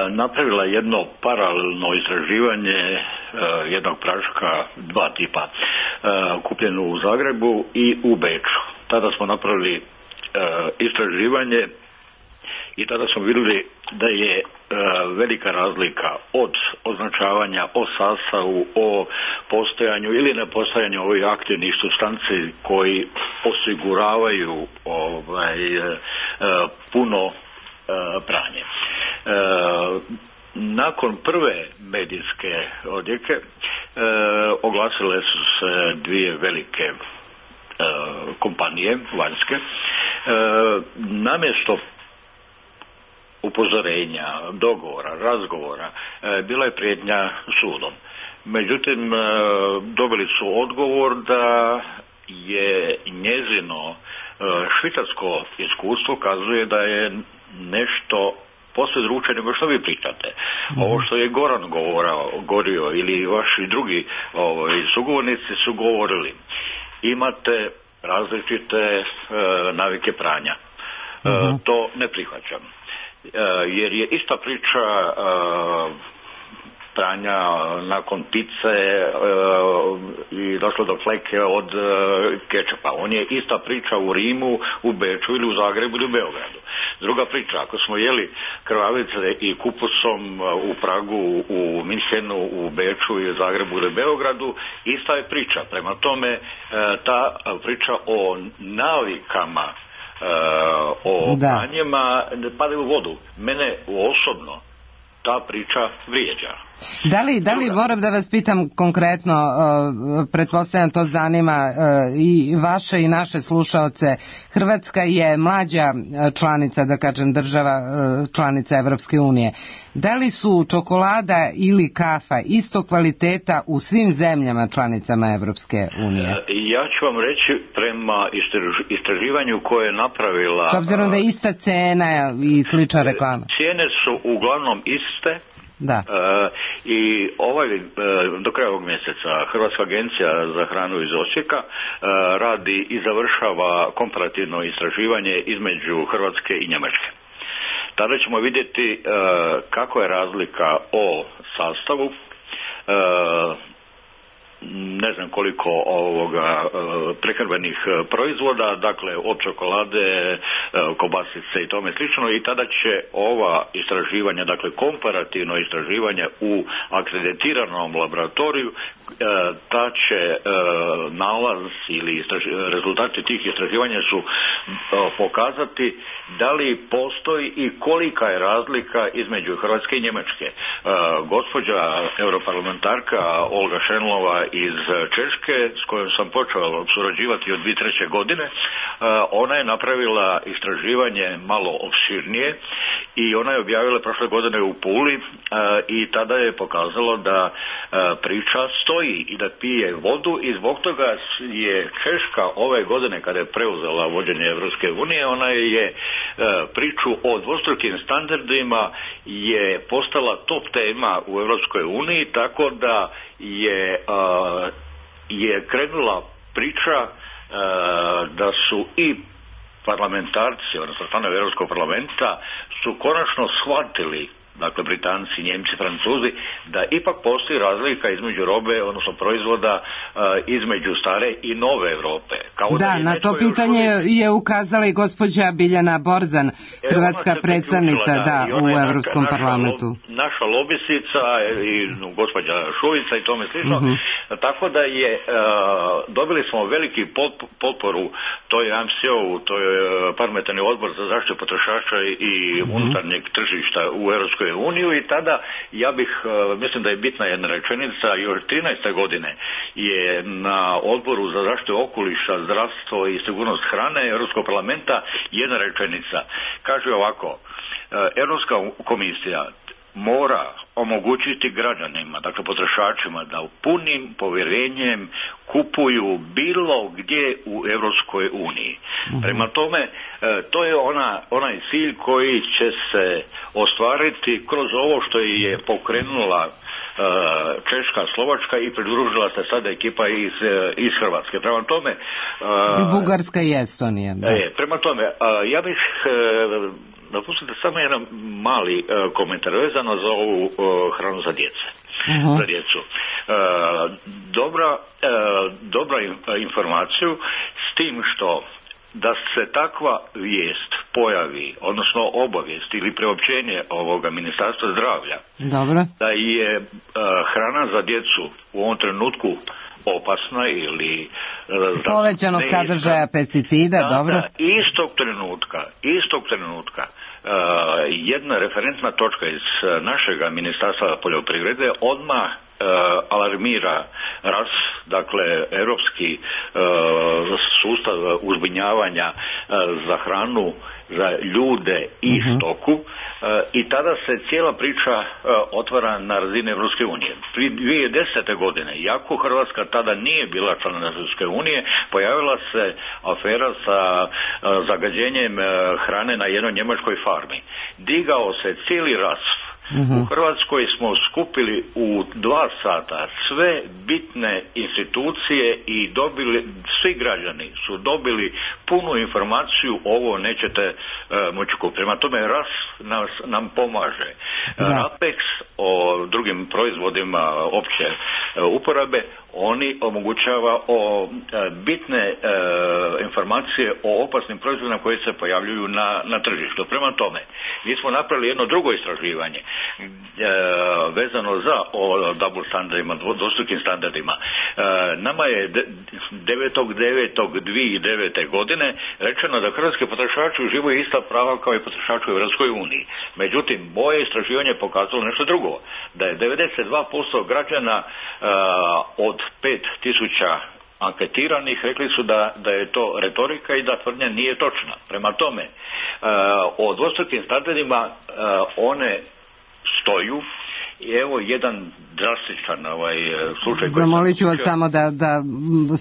Speaker 7: napravila jedno paralelno istraživanje e, jednog praška, dva tipa, e, kupljeno u Zagrebu i u Beču. Tada smo napravili e, istraživanje i tada smo vidjeli da je e, velika razlika od označavanja o sastavu, o postojanju ili nepostojanju ovih aktivnih supstanci koji osiguravaju ovaj, e, puno e, pranje. E, nakon prve medijske odjeke e, oglasile su se dvije velike e, kompanije vanjske. E, namjesto upozorenja, dogovora, razgovora, e, bila je prijetnja sudom. Međutim, e, dobili su odgovor da je njezino e, švicarsko iskustvo kazuje da je nešto posve drugačije nego što vi pričate. Mm-hmm. Ovo što je Goran govorao, govorio ili vaši drugi ovaj, sugovornici su govorili, imate različite e, navike pranja. Mm-hmm. E, to ne prihvaćam. Jer je ista priča uh, pranja nakon pice uh, i došlo do fleke od uh, kečapa. On je ista priča u Rimu, u Beču ili u Zagrebu ili u Beogradu. Druga priča, ako smo jeli krvavice i kupusom u Pragu, u Minhenu, u Beču i u Zagrebu ili Beogradu, ista je priča. Prema tome, uh, ta priča o navikama Uh, o pranjima ne padaju u vodu. Mene osobno ta priča vrijeđa.
Speaker 2: Da li, da li moram da vas pitam konkretno, uh, pretpostavljam to zanima uh, i vaše i naše slušaoce, Hrvatska je mlađa članica, da kažem država uh, članica Evropske unije. Da li su čokolada ili kafa isto kvaliteta u svim zemljama članicama Evropske unije?
Speaker 7: Ja ću vam reći prema istraživanju koje je napravila...
Speaker 2: S obzirom da je ista cena i slična reklama.
Speaker 7: Cijene su uglavnom iste.
Speaker 2: Da.
Speaker 7: E, I ovaj, e, do kraja ovog mjeseca Hrvatska agencija za hranu iz Osijeka e, radi i završava komparativno istraživanje između Hrvatske i Njemačke. Tada ćemo vidjeti e, kako je razlika o sastavu, e, ne znam koliko ovoga prehrambenih proizvoda, dakle od čokolade, kobasice i tome slično, i tada će ova istraživanja, dakle komparativno istraživanje u akreditiranom laboratoriju, ta će nalaz ili rezultati tih istraživanja su pokazati da li postoji i kolika je razlika između Hrvatske i Njemačke. Gospođa europarlamentarka Olga Šenlova iz Češke, s kojom sam počeo surađivati od dvije tisuće treće. godine, ona je napravila istraživanje malo opširnije i ona je objavila prošle godine u Puli i tada je pokazalo da priča stoji i da pije vodu, i zbog toga je Češka ove godine, kada je preuzela vođenje Evropske unije, ona je priču o dvostrukim standardima je postala top tema u Evropskoj uniji, tako da je, je krenula priča da su i parlamentarci, odnosno članovi Europskog parlamenta, su konačno shvatili, dakle Britanci, Njemci, Francuzi, da ipak postoji razlika između robe, odnosno proizvoda, između stare i nove Evrope. Kao
Speaker 2: da, da na to pitanje uvijek... je ukazala i gospođa Biljana Borzan, hrvatska predstavnica da, da, u Evropskom naša, parlamentu.
Speaker 7: Naša lobisica i gospođa Šuica i tome slično. Uh-huh. Tako da je, dobili smo veliki potporu toj A M C O-u, to je Parlamentarni odbor za zaštitu potrošača i uh-huh. unutarnjeg tržišta u Evropskoj uniju, i tada ja bih, mislim da je bitna jedna rečenica, još trinaeste. godine je na odboru za zaštitu okoliša, zdravstvo i sigurnost hrane Europskog parlamenta jedna rečenica. Kaže ovako: Europska komisija mora omogućiti građanima, dakle potrošačima, da u punim povjerenjem kupuju bilo gdje u Europskoj uniji. Mm-hmm. Prema tome, to je ona, onaj cilj koji će se ostvariti kroz ovo što je pokrenula Češka, Slovačka i pridružila se sada ekipa iz, iz Hrvatske. Prema tome...
Speaker 2: Bugarska i Estonija. Da.
Speaker 7: E, prema tome, ja bih... Dopustite samo jedan mali uh, komentar vezano za ovu uh, hranu za djece. Uh-huh. Za djecu. Uh, dobra, uh, dobra informaciju s tim što da se takva vijest pojavi, odnosno obavijest ili preopćenje ovoga Ministarstva zdravlja,
Speaker 2: dobro,
Speaker 7: da je uh, hrana za djecu u ovom trenutku opasna ili uh,
Speaker 2: povećanog sadržaja pesticida, da, dobro.
Speaker 7: Da, istog trenutka, istog trenutka Uh, jedna referentna točka iz uh, našega Ministarstva poljoprivrede odmah uh, alarmira R A S, dakle Europski uh, sustav uzbunjavanja uh, za hranu za ljude i uh-huh. stoku, uh, i tada se cijela priča uh, otvara na razini Evropske unije. Prije dvije tisuće desete. godine, iako Hrvatska tada nije bila član Evropske unije, pojavila se afera sa uh, zagađenjem uh, hrane na jednoj njemačkoj farmi. Digao se cijeli rasp. Uh-huh. U Hrvatskoj smo skupili u dva sata sve bitne institucije i dobili, svi građani su dobili punu informaciju, ovo nećete uh, moći kupiti. Prema tome R A S nas, nam pomaže. Da. RAPEX o drugim proizvodima opće uh, uporabe, oni omogućava o uh, bitne uh, informacije o opasnim proizvodima koji se pojavljuju na, na tržištu. Prema tome, mi smo napravili jedno drugo istraživanje e, vezano za o double standardima, dvostrukim standardima. E, nama je devetog devetog dvije tisuće devete. godine rečeno da hrvatski potrošači uživaju ista prava kao i potrošači u Europskoj uniji. Međutim, moje istraživanje je pokazalo nešto drugo. prvo, da je devedeset dva posto građana uh, od pet tisuća anketiranih rekli su da, da je to retorika i da tvrdnja nije točna. Prema tome, uh, o dvostrukim standardima uh, one stoju. I evo jedan drastičan ovaj, slučaj.
Speaker 2: Zamolit ću vas samo da, da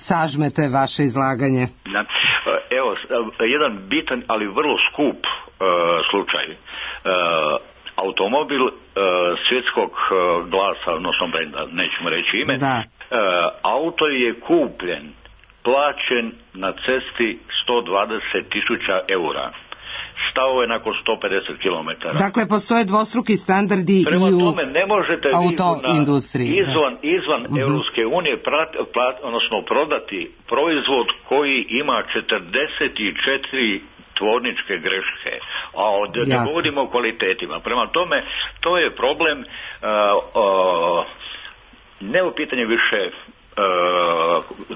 Speaker 2: sažmete vaše izlaganje.
Speaker 7: Da. Evo, jedan bitan, ali vrlo skup uh, slučaj. Uh, automobil uh, svjetskog uh, glasa, odnosno brenda, nećemo reći ime.
Speaker 2: Da.
Speaker 7: Uh, auto je kupljen, plaćen na cesti sto dvadeset tisuća eura. Stao je nakon sto pedeset kilometara.
Speaker 2: Dakle, postoje dvostruki standardi
Speaker 7: Prema
Speaker 2: i u
Speaker 7: tome, ne možete
Speaker 2: autoindustriji.
Speaker 7: Izvan, izvan uh-huh. Europske unije prat, plat, odnosno prodati proizvod koji ima četrdeset četiri tvorničke greške, a od, ne govorimo o kvalitetima. Prema tome, to je problem, uh, uh, ne u pitanje više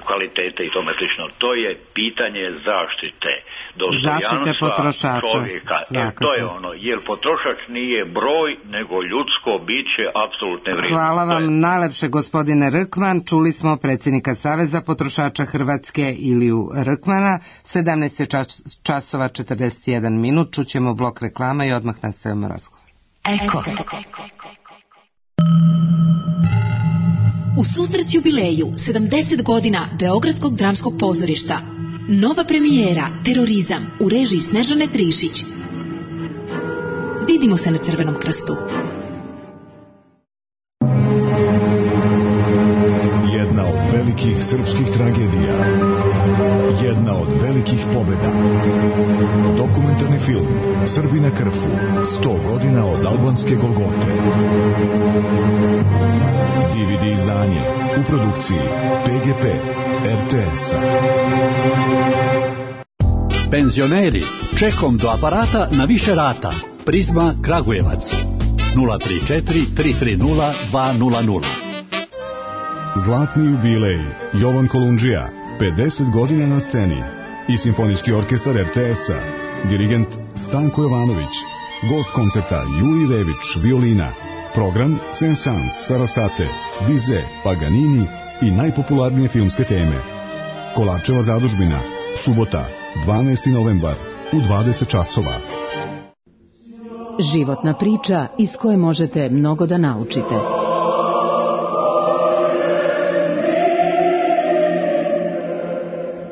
Speaker 7: kvalitete i tome slično. To je pitanje zaštite dostojanstva
Speaker 2: potrošača.
Speaker 7: Čovjeka. E, to je ono, jer potrošač nije broj, nego ljudsko biće apsolutne vrijednosti.
Speaker 2: Hvala vam je... najlepše, gospodine Rkman. Čuli smo predsjednika Saveza potrošača Hrvatske Iliju Rkmana. sedamnaest časova četrdeset jedan minut. Čućemo blok reklama i odmah nastavimo razgovor.
Speaker 8: Eko. U susret jubileju sedamdeset godina Beogradskog dramskog pozorišta. Nova premijera Terorizam u režiji Snežane Trišić. Vidimo se na Crvenom krstu.
Speaker 9: Jedna od velikih srpskih tragedija. Jedna od velikih pobjeda. Dokumentarni film Srbi na krfu. sto godina od albanske Golgote. D V D izdanje u produkciji P G P R T S-a.
Speaker 10: Penzioneri, čekom do aparata na više rata. Prizma Kragujevac nula tri četiri tri tri nula dva nula nula.
Speaker 9: Zlatni jubilej Jovan Kolundžija, pedeset godina na sceni i Simfonijski orkestar R T S-a. Dirigent Stanko Jovanović. Gost koncerta Juri Rević, violina. Program Saint-Saëns, Sarasate, Bizet, Paganini i najpopularnije filmske teme. Kolarčeva zadužbina, subota, dvanaesti novembar, u dvadeset časova.
Speaker 11: Životna priča iz koje možete mnogo da naučite.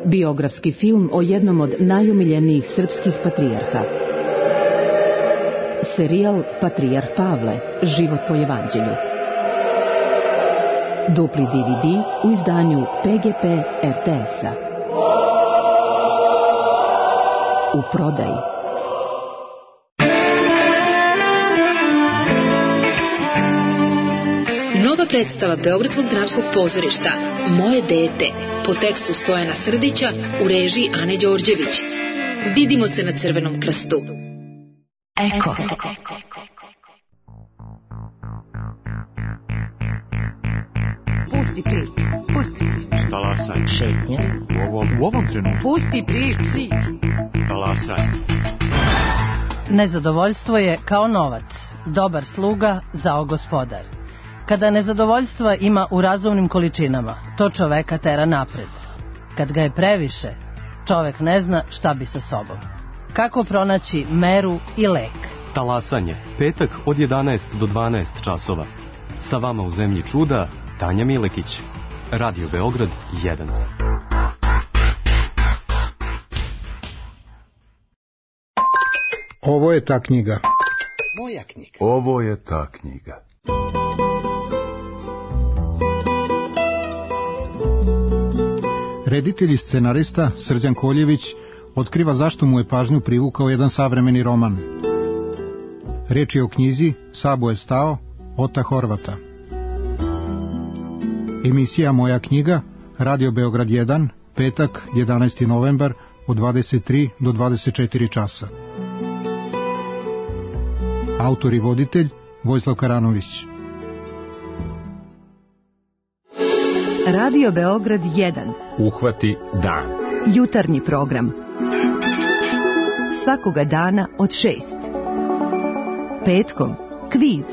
Speaker 11: Biografski film o jednom od najomiljenijih srpskih patrijarha. Serijal Patrijarh Pavle, život po evanđelju. Dupli D V D u izdanju P G P R T S-a. U prodaji.
Speaker 8: Nova predstava Beogradskog dramskog pozorišta Moje dete, po tekstu Stojana Srdića, u režiji Ane Đorđević. Vidimo se na Crvenom krstu. Eko.
Speaker 1: Pusti priču, pusti priču.
Speaker 12: Talasaj.
Speaker 1: Šetnje.
Speaker 12: U ovom, u ovom trenutku.
Speaker 1: Pusti priču.
Speaker 12: Talasaj.
Speaker 13: Nezadovoljstvo je kao novac, dobar sluga, zao gospodar. Kada nezadovoljstva ima u razumnim količinama, to čoveka tera napred. Kad ga je previše, čovek ne zna šta bi sa sobom. Kako pronaći meru i lek?
Speaker 14: Talasanje, petak od jedanaest do dvanaest časova. Sa vama u zemlji čuda, Tanja Milekić. Radio Beograd jedan.
Speaker 15: Ovo je ta knjiga.
Speaker 16: Moja knjiga.
Speaker 17: Ovo je ta knjiga.
Speaker 15: Reditelj i scenarista Srđan Koljević otkriva zašto mu je pažnju privukao jedan savremeni roman. Riječ je o knjizi Sabo je stao, Ota Horvata. Emisija Moja knjiga, Radio Beograd jedan, petak, jedanaesti novembar, od dvadeset tri do dvadeset četiri časa. Autor i voditelj Vojislav Karanović.
Speaker 11: Radio Beograd jedan.
Speaker 18: Uhvati dan.
Speaker 11: Jutarnji program. Svakoga dana od šest. Petkom, Kviz.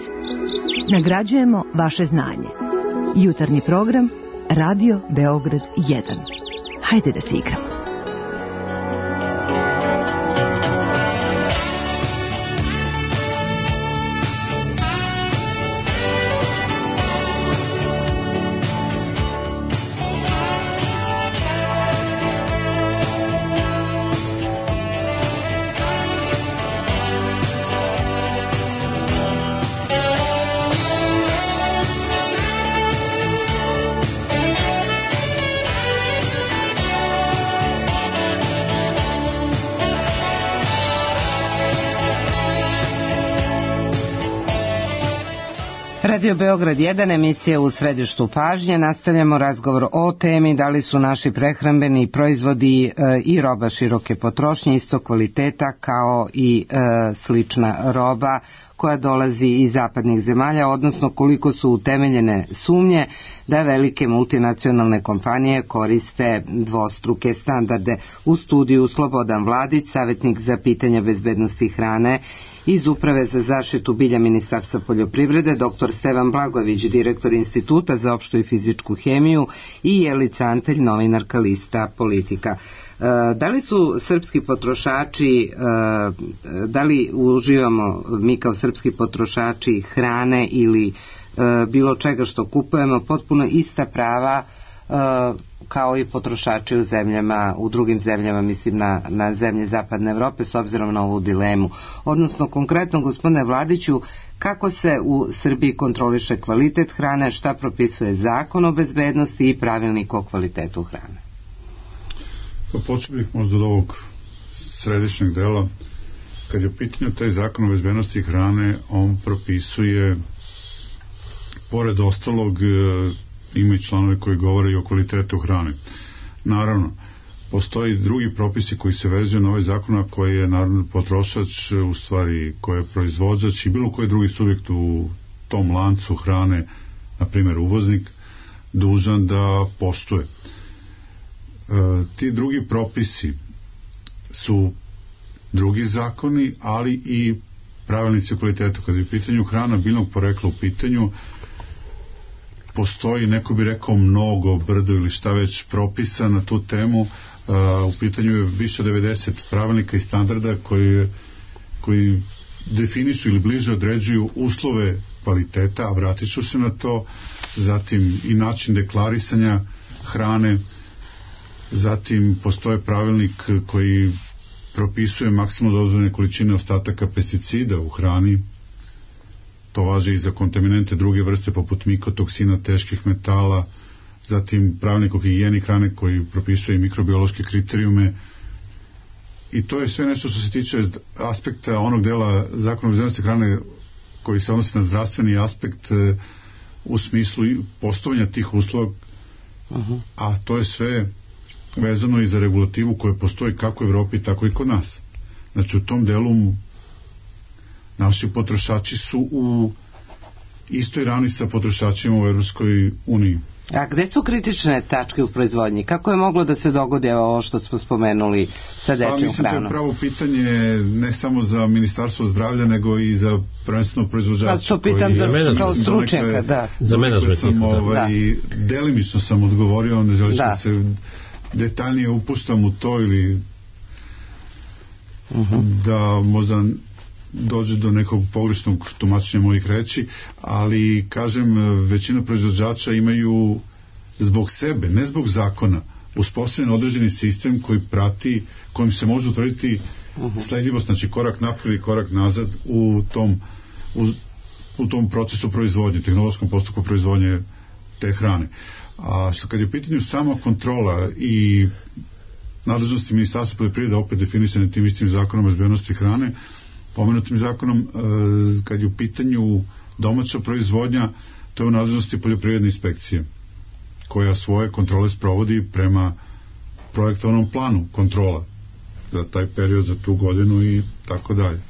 Speaker 11: Nagrađujemo vaše znanje. Jutarnji program Radio Beograd jedan. Hajde da se igramo.
Speaker 2: Radio Beograd jedan, emisija u središtu pažnje. Nastavljamo razgovor o temi da li su naši prehrambeni proizvodi e, i roba široke potrošnje isto kvaliteta kao i e, slična roba koja dolazi iz zapadnih zemalja, odnosno koliko su utemeljene sumnje da velike multinacionalne kompanije koriste dvostruke standarde. U studiju Slobodan Vladić, savjetnik za pitanja bezbednosti hrane iz Uprave za zaštitu bilja Ministarstva poljoprivrede, doktor Stevan Blagojević, direktor Instituta za opštu i fizičku hemiju i Jelica Antelj, novinarka lista Politika. Da li su srpski potrošači, da li uživamo mi kao srpski potrošači hrane ili bilo čega što kupujemo potpuno ista prava kao i potrošači u zemljama, u drugim zemljama, mislim na, na zemlje Zapadne Evrope, s obzirom na ovu dilemu? Odnosno, konkretno, gospodine Vladiću, kako se u Srbiji kontroliše kvalitet hrane, šta propisuje zakon o bezbednosti i pravilnik o kvalitetu hrane?
Speaker 3: Pa počeo bih možda od ovog središnjeg dela. Kad je u pitanju taj zakon o bezbednosti hrane, on propisuje, pored ostalog, ima i članove koji govore i o kvalitetu hrane. Naravno, postoji drugi propisi koji se vezuju na ovaj zakon, a koji je naravno potrošač, u stvari koji je proizvođač i bilo koji drugi subjekt u tom lancu hrane, na primjer uvoznik, dužan da poštuje. E, ti drugi propisi su drugi zakoni, ali i pravilnici o kvalitetu. Kada je u pitanju hrana biljnog porekla u pitanju, postoji, neko bi rekao, mnogo, brdo ili šta već propisa na tu temu. Uh, u pitanju je više od devedeset pravilnika i standarda koji, koji definišu ili bliže određuju uslove kvaliteta, a vratit ću se na to, zatim i način deklarisanja hrane, zatim postoje pravilnik koji propisuje maksimalno dozvoljene količine ostataka pesticida u hrani. To važi i za kontaminante druge vrste poput mikotoksina, teških metala, zatim pravilnik o higijeni hrane koji propisuje i mikrobiološke kriterijume. I to je sve nešto što se tiče aspekta onog dela zakona o bezbednosti hrane koji se odnosi na zdravstveni aspekt u smislu poštovanja tih uslova, uh-huh. a to je sve vezano i za regulativu koja postoji kako u Evropi, tako i kod nas. Znači u tom delu naši potrošači su u istoj ravni sa potrošačima u Evropskoj uniji.
Speaker 2: A gde su kritične tačke u proizvodnji? Kako je moglo da se dogodi ovo što smo spomenuli sa dečjom hranom? Pa mislim,
Speaker 3: to je pravo pitanje ne samo za Ministarstvo zdravlja, nego i za prvenstveno proizvođača.
Speaker 2: Pa to pitam za, kao stručnjaka, da.
Speaker 3: Za menadžment. Ovaj, delimično sam odgovorio, ne želim da se detaljnije upuštam u to ili uh-huh. da možda dođe do nekog pogrešnog tumačenja mojih reči, ali kažem, većina proizvođača imaju zbog sebe, ne zbog zakona, uspostavljen određeni sistem koji prati, kojim se može utvrditi uh-huh. sledljivost, znači korak naprijed i korak nazad u tom, u, u tom procesu proizvodnje, tehnološkom postupku proizvodnje te hrane. A što kad je u pitanju sama kontrola i nadležnosti Ministarstva poljoprivrede opet definisane tim istim zakonom o bezbednosti hrane, pomenutim zakonom, kad je u pitanju domaća proizvodnja, to je u nadležnosti poljoprivredne inspekcije, koja svoje kontrole sprovodi prema projektovanom planu kontrola za taj period, za tu godinu i tako dalje.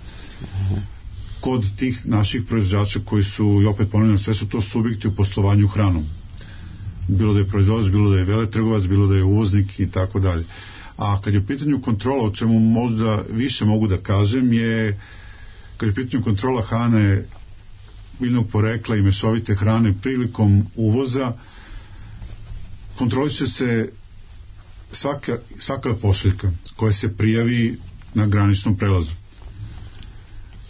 Speaker 3: Kod tih naših proizvođača koji su, i opet ponavljam, sve su to subjekti u poslovanju hranom. Bilo da je proizvođač, bilo da je veletrgovac, bilo da je uvoznik i tako dalje. A kad je u pitanju kontrola, o čemu možda više mogu da kažem, je kad je u pitanju kontrola hrane biljnog porekla i mešovite hrane prilikom uvoza kontroliše se svaka, svaka pošiljka koja se prijavi na graničnom prelazu.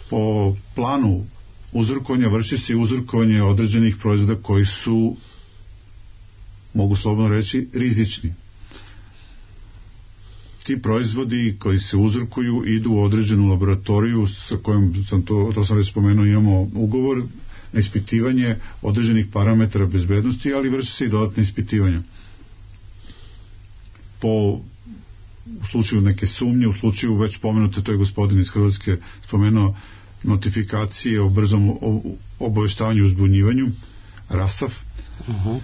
Speaker 3: Po planu uzorkovanja vrši se i uzorkovanje određenih proizvoda koji su, mogu slobodno reći, rizični. Ti proizvodi koji se uzorkuju idu u određenu laboratoriju sa kojom sam to, to sam već spomenuo, imamo ugovor na ispitivanje određenih parametara bezbednosti, ali vrši se i dodatne ispitivanja. Po u slučaju neke sumnje, u slučaju već pomenute, to je gospodin iz Hrvatske spomenuo, notifikacije o brzom obaveštavanju i uzbunjivanju, RASAF. Uh-huh.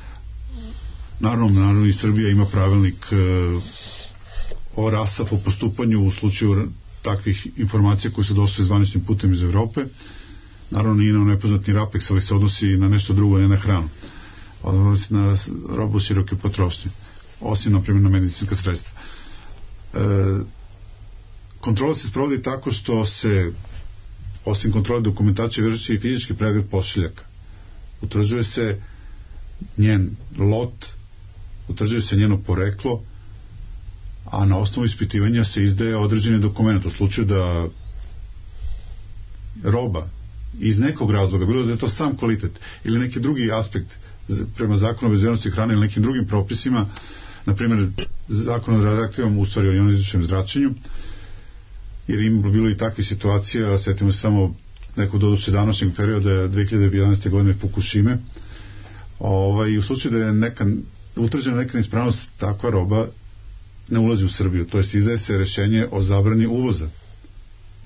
Speaker 3: Naravno, naravno i Srbija ima pravilnik uh, o RASAF u postupanju u slučaju takvih informacija koje se došle zvaničnim putem iz Evrope. Naravno nije na nepoznatni RAPEX, ali se odnosi na nešto drugo, ne na hranu. Odnosi na robu široke potrošnje, osim na primjer na medicinska sredstva. E, kontrola se sprovodi tako što se osim kontrole dokumentacije vrši i fizički pregled pošiljaka. Utvrđuje se njen lot, utvrđuje se njeno poreklo, a na osnovu ispitivanja se izdaje određeni dokument. U slučaju da roba iz nekog razloga, bilo da je to sam kvalitet ili neki drugi aspekt prema zakonu o bezbednosti hrane ili nekim drugim propisima, na primjer zakon o radioaktivnom, u stvari o ionizirajućem zračenju, jer im bilo i takve situacije, setimo se samo nekog doduše današnjeg perioda dve hiljade jedanaeste godine Fukushime, ovaj, u slučaju da je neka utvrđena neka neispravnost, takva roba ne ulazi u Srbiju, to jest izdaje se rešenje o zabrani uvoza.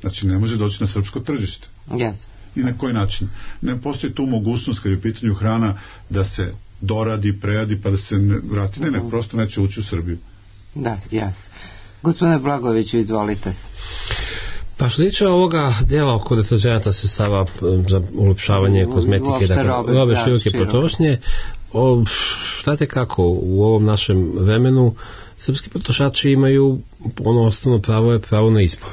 Speaker 3: Znači ne može doći na srpsko tržište.
Speaker 2: Yes.
Speaker 3: I na koji način? Ne postoji tu mogućnost kad je u pitanju hrana da se doradi, preradi pa da se ne vrati. Ne, ne, prosto neće ući u Srbiju.
Speaker 2: Da, jas. Gospodine Blagojeviću, izvolite.
Speaker 5: Pa što tiče ovoga dela oko deterđenata sredstava za ulepšavanje kozmetike, dakle, robe, robe da, široke potrošnje, znate kako, u ovom našem vremenu srpski potrošači imaju ono osnovno pravo je pravo na izbor.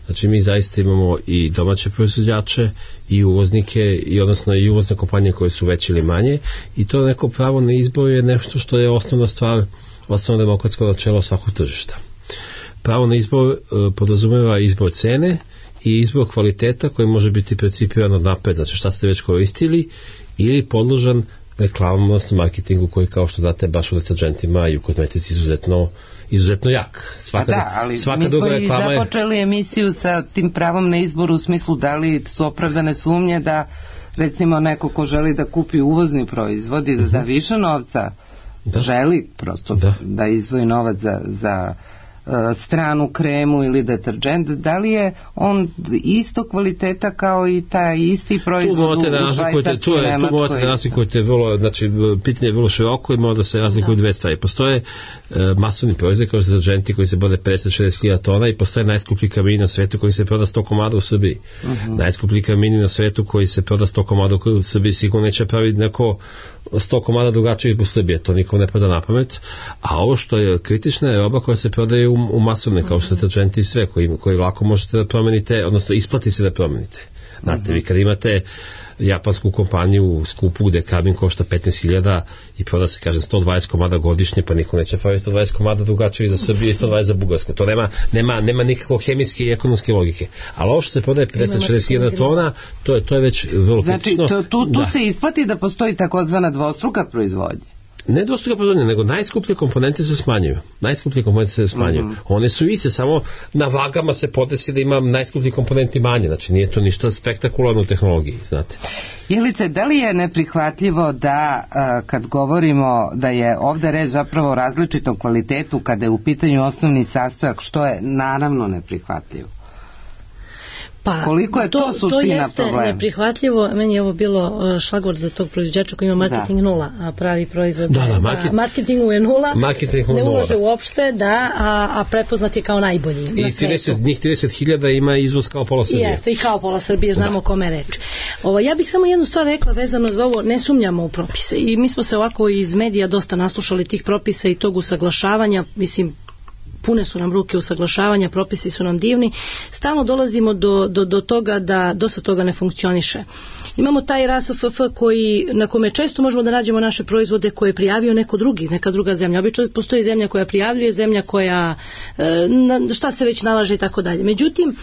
Speaker 5: Znači mi zaista imamo i domaće proizvođače i uvoznike i odnosno i uvozne kompanije koje su veće ili manje i to neko pravo na izbor je nešto što je osnovna stvar, osnovno demokratsko načelo svakog tržišta. Pravo na izbor e, podrazumeva izbor cene i izbor kvaliteta koji može biti percipiran od napred, znači šta ste već koristili ili podložan reklamom, odnosno marketingu koji kao što znate baš u deterđentima i u kozmetici izuzetno izuzetno jak. Svaka,
Speaker 2: da, ali
Speaker 5: svaka
Speaker 2: mi smo i
Speaker 5: je...
Speaker 2: započeli emisiju sa tim pravom na izbor u smislu da li su opravdane sumnje da recimo neko ko želi da kupi uvozni proizvod i da da više novca da. želi prosto da, da izdvoji novac za, za stranu kremu ili deterđent, da li je on isto kvaliteta kao i taj isti proizvod u Švajcarskoj, Nemačkoj?
Speaker 5: Tu morate da razlikujete vrlo, znači pitanje je vrlo široko i mora da se razlikuju dve stvari. Postoje uh, masovni proizvod kao deterđenti koji se bode pedeset do šezdeset hiljada tona i postoje najskuplji kamini na svetu koji se proda sto komada u Srbiji. Uh-huh. Najskuplji kamini na svetu koji se proda sto komada u Srbiji sigurno neće praviti neko sto komada drugačije u Srbiji, to nikom ne pada na pamet, a ovo što je kritična je roba koja se prodaje u, u masovne, kao što deterđenti i sve, koji, koji lako možete da promenite, odnosno isplati se da promenite. Znate, uh-huh. vi kad imate japansku kompaniju skupu gde kamin košta petnaest hiljada i proda se, kažem, sto dvadeset komada godišnje, pa niko neće praviti sto dvadeset komada drugačije za Srbiju i sto dvadeset za Bugarsku. To nema, nema, nema nikakve hemijske i ekonomske logike. Ali ovo što se prodaje pedeset do šezdeset hiljada tona, to je, to je već vrlo
Speaker 2: znači,
Speaker 5: kritično.
Speaker 2: Znači, tu, tu
Speaker 5: da.
Speaker 2: se isplati da postoji takozvana dvostruka proizvodnja.
Speaker 5: Ne dvostruka proizvodnja, nego najskuplje komponente se smanjuju. Najskuplje komponente se smanjuju. Mm-hmm. One su iste, samo na vagama se podesi da ima najskuplji komponenti manje. Znači nije to ništa spektakularno u tehnologiji, znate.
Speaker 2: Jelice, da li je neprihvatljivo da kad govorimo da je ovde reč zapravo o različitom kvalitetu kada je u pitanju osnovni sastojak, što je naravno neprihvatljivo?
Speaker 4: Pa,
Speaker 2: koliko je to, to suština problema?
Speaker 4: To jeste neprihvatljivo. Meni je ovo bilo šlagvord za tog proizvođača koji ima marketing da. nula, a pravi proizvod
Speaker 5: da, da,
Speaker 4: market, da, marketingu je nula,
Speaker 5: marketingu
Speaker 4: ne ulaže uopšte, da, a, a prepoznat je kao najbolji
Speaker 5: i
Speaker 4: na
Speaker 5: trideset, njih trideset hiljada ima izvoz kao pola Srbije.
Speaker 4: Jeste, i kao pola Srbije, znamo da. kome reč. Ovo, ja bih samo jednu stvar rekla vezano za ovo, ne sumnjamo u propise i mi smo se ovako iz medija dosta naslušali tih propisa i tog usaglašavanja, mislim, pune su nam ruke usaglašavanja, propisi su nam divni, stalno dolazimo do, do, do toga da dosta toga ne funkcioniše. Imamo taj R A S F F koji, na kome često možemo da nađemo naše proizvode koje je prijavio neko drugi, neka druga zemlja. Obično postoji zemlja koja prijavljuje, zemlja koja e, šta se već nalaže i tako dalje. Međutim,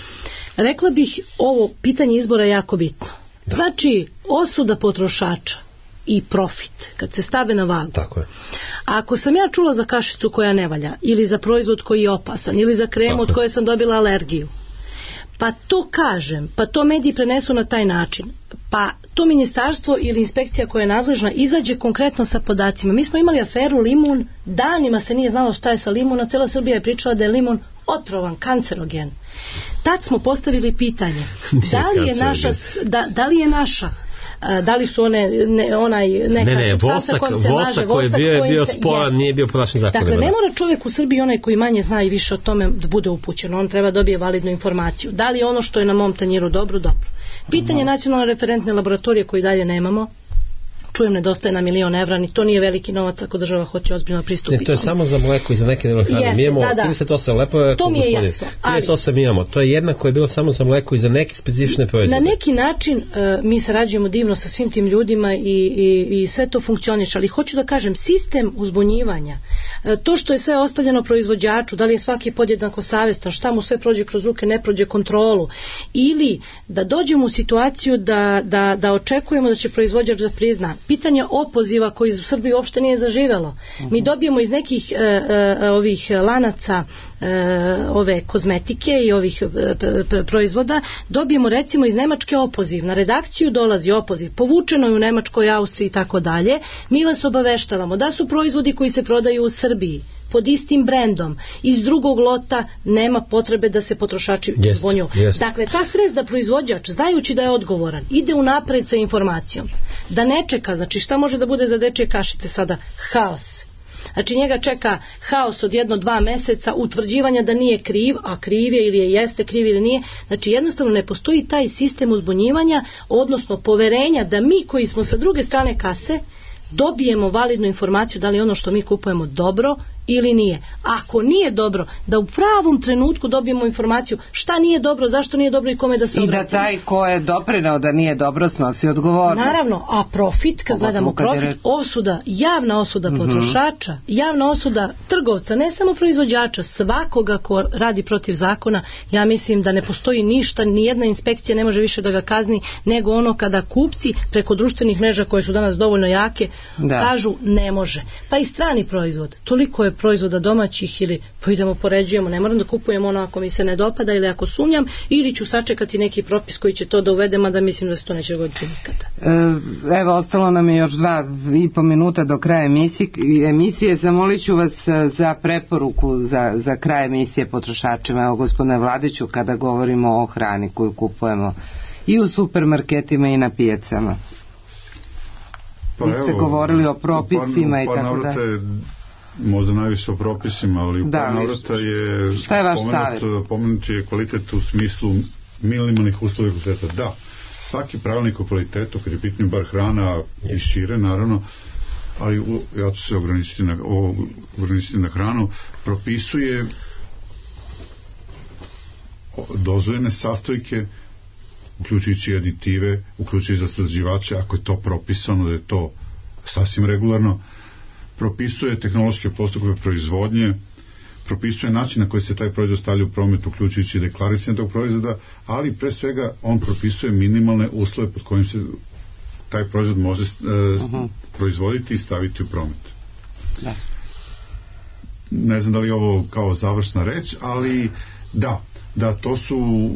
Speaker 4: rekla bih, ovo pitanje izbora je jako bitno. Znači, osuda potrošača i profit, kad se stave na vagu.
Speaker 5: Tako je.
Speaker 4: A ako sam ja čula za kašicu koja ne valja, ili za proizvod koji je opasan, ili za kremu Tako od koje sam dobila alergiju, pa to kažem, pa to mediji prenesu na taj način, pa to ministarstvo ili inspekcija koja je nadležna izađe konkretno sa podacima. Mi smo imali aferu limun, danima se nije znalo šta je sa limunom, cela Srbija je pričala da je limun otrovan, kancerogen. Tad smo postavili pitanje, da li je naša, da, da li je naša da li su one ne, onaj neka
Speaker 5: ne, ne,
Speaker 4: supstanca kojom se
Speaker 5: vosak
Speaker 4: maže,
Speaker 5: koji je bio, je bio
Speaker 4: se,
Speaker 5: sporan, nije bio po našim zakonima.
Speaker 4: Dakle, ne mora čovjek u Srbiji, onaj koji manje zna i više o tome, da bude upućen. On treba dobije validnu informaciju. Da li je ono što je na mom tanjiru dobro, dobro. Pitanje uh-huh. nacionalne referentne laboratorije koji dalje nemamo, čujem nedostaje na milion evra, ni to nije veliki novac ako država hoće ozbiljno pristupiti.
Speaker 5: Ne, to je samo za mleko i za neke hrane. Mi imamo
Speaker 4: da, da.
Speaker 5: trideset osam, lepo je,
Speaker 4: to mi je jasno.
Speaker 5: trideset osam imamo, to je jedna koja je bila samo za mleko i za neke specifične proizvode.
Speaker 4: Na neki način uh, mi sarađujemo divno sa svim tim ljudima i, i, i sve to funkcioniše, ali hoću da kažem, sistem uzbunjivanja, uh, to što je sve ostavljeno proizvođaču, da li je svaki podjednako savjestan, šta mu sve prođe kroz ruke, ne prođe kontrolu, ili da dođemo u situaciju da, da, da očekujemo da će proizvođač da prizna. Pitanje opoziva koji u Srbiji uopšte nije zaživelo. Mi dobijemo iz nekih e, e, ovih lanaca e, ove kozmetike i ovih e, p, proizvoda, dobijemo recimo iz Nemačke opoziv. Na redakciju dolazi opoziv, povučeno je u Nemačkoj, Austriji i tako dalje. Mi vas obaveštavamo da su proizvodi koji se prodaju u Srbiji pod istim brendom iz drugog lota, nema potrebe da se potrošači zvonju. Dakle, ta svest da proizvođač, znajući da je odgovoran, ide unapred sa informacijom, da ne čeka, znači šta može da bude za dečje kašice sada? Haos. Znači njega čeka haos od jedno, dva meseca, utvrđivanja da nije kriv, a kriv je ili je jeste kriv ili nije. Znači jednostavno ne postoji taj sistem uzbunjivanja, odnosno poverenja da mi koji smo sa druge strane kase dobijemo validnu informaciju da li ono što mi kupujemo dobro ili nije. Ako nije dobro, da u pravom trenutku dobijemo informaciju šta nije dobro, zašto nije dobro i kome da se obratimo.
Speaker 2: I da taj ko je doprineo da nije dobro snosi odgovornost.
Speaker 4: Naravno, a profit, kad gledamo profit, je... osuda, javna osuda potrošača, mm-hmm. javna osuda trgovca, ne samo proizvođača, svakoga ko radi protiv zakona, ja mislim da ne postoji ništa, ni jedna inspekcija ne može više da ga kazni, nego ono kada kupci preko društvenih mreža koje su danas dovoljno jake, da. kažu ne može. Pa i strani proizvod, toliko je proizvoda domaćih ili pa idemo poređujemo, ne moram da kupujem ono ako mi se ne dopada ili ako sumnjam, ili ću sačekati neki propis koji će to da uvedem, a da mislim da se to neće dogoditi nikada.
Speaker 2: Evo, ostalo nam je još dva i po minuta do kraja emisije. Zamolit ću vas za preporuku za, za kraj emisije potrošačima. Evo, gospodine Vladiću, kada govorimo o hrani koju kupujemo i u supermarketima i na pijacama. Pa vi ste evo, govorili o propisima par, par i tako da.
Speaker 3: Možda najviše o propisima, ali u par navrata je,
Speaker 2: šta je vaš savjet?
Speaker 3: Pomenut je kvalitet u smislu minimalnih uslova kvaliteta. Da, svaki pravilnik o kvalitetu, kad je pitanje bar hrana i šire, naravno, ali u, ja ću se ograničiti na, o, ograničiti na hranu, propisuje dozvoljene sastojke, uključujući aditive, uključujući zaslađivače, ako je to propisano, da je to sasvim regularno, propisuje tehnološke postupke proizvodnje, propisuje način na koji se taj proizvod stavlja u promet, uključujući deklarisanje tog proizvoda, ali pre svega on propisuje minimalne uslove pod kojim se taj proizvod može uh, uh-huh. proizvoditi i staviti u promet. Da. Ne znam da li je ovo kao završna reč, ali da, da to su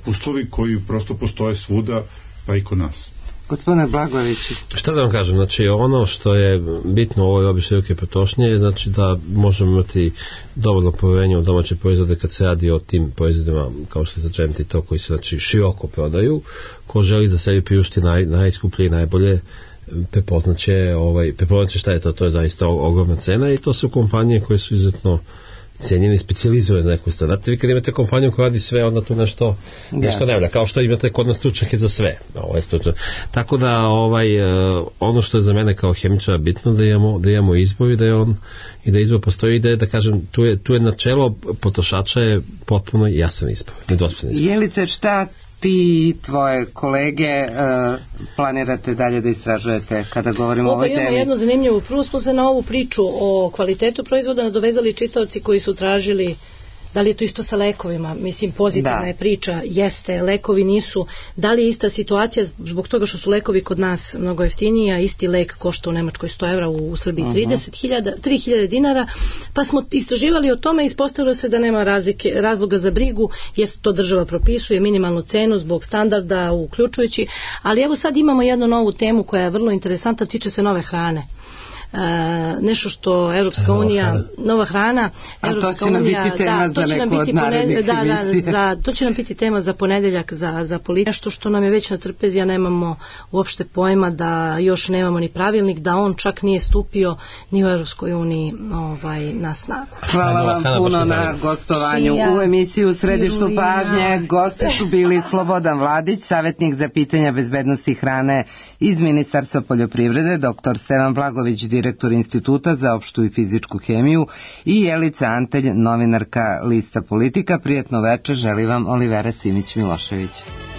Speaker 3: uslovi koji prosto postoje svuda, pa i kod nas.
Speaker 2: Gospodine Blagojević.
Speaker 5: Šta da vam kažem, znači ono što je bitno u ovoj obi široke potrošnje je znači da možemo imati dovoljno poverenje u domaće proizvode kad se radi o tim proizvodima kao što je začenti to koji se znači široko prodaju. Ko želi da sebi priušti naj, najskuplje i najbolje, prepoznaće ovaj, prepoznaće šta je to, to je zaista ogromna cena i to su kompanije koje su izuzetno cenjeni i specijalizuje za neku stvar. Znate, vi kad imate kompaniju koja radi sve, onda tu nešto, nešto ne valja, kao što imate kod nas stručnjake za sve. Ovo je stručno. Tako da ovaj, ono što je za mene kao hemičara bitno da imamo, da imamo izbor i da je on i da izbor postoji i da je, da kažem, tu je, tu je načelo potrošača je potpuno jasan izbor, nedvosmislen izbor.
Speaker 2: Jelice, šta ti i tvoje kolege uh, planirate dalje da istražujete kada govorimo o ovoj temi?
Speaker 4: Imamo jednu zanimljivu. Prvo smo se na ovu priču o kvalitetu proizvoda nadovezali čitaoci koji su tražili da li je to isto sa lekovima. Mislim, pozitivna da. je priča, jeste, lekovi nisu. Da li je ista situacija zbog toga što su lekovi kod nas mnogo jeftiniji, a isti lek košta u Nemačkoj sto evra, u Srbiji trideset hiljada, tri hiljade dinara, pa smo istraživali o tome i ispostavilo se da nema razlike, razloga za brigu, jer to država propisuje minimalnu cenu zbog standarda uključujući, ali evo sad imamo jednu novu temu koja je vrlo interesantna, tiče se nove hrane. Uh, nešto što Evropska unija, nova hrana,
Speaker 2: Evropska a to će nam unija, biti tema da, za neku od narednih
Speaker 4: da, da, za, to će nam biti tema za ponedeljak za, za politiku, nešto što nam je već na trpezi, a nemamo uopšte pojma da još nemamo ni pravilnik, da on čak nije stupio ni u Evropskoj uniji ovaj, na snagu.
Speaker 2: Hvala vam puno na gostovanju u emisiju Središtu pažnje. Gosti su bili Slobodan Vladić, savjetnik za pitanja bezbednosti hrane iz Ministarstva poljoprivrede, doktor Stevan Blagović, direktor Instituta za opštu i fizičku hemiju, i Jelica Antelj, novinarka Lista Politika. Prijatno večer želi vam Olivera Simić-Milošević.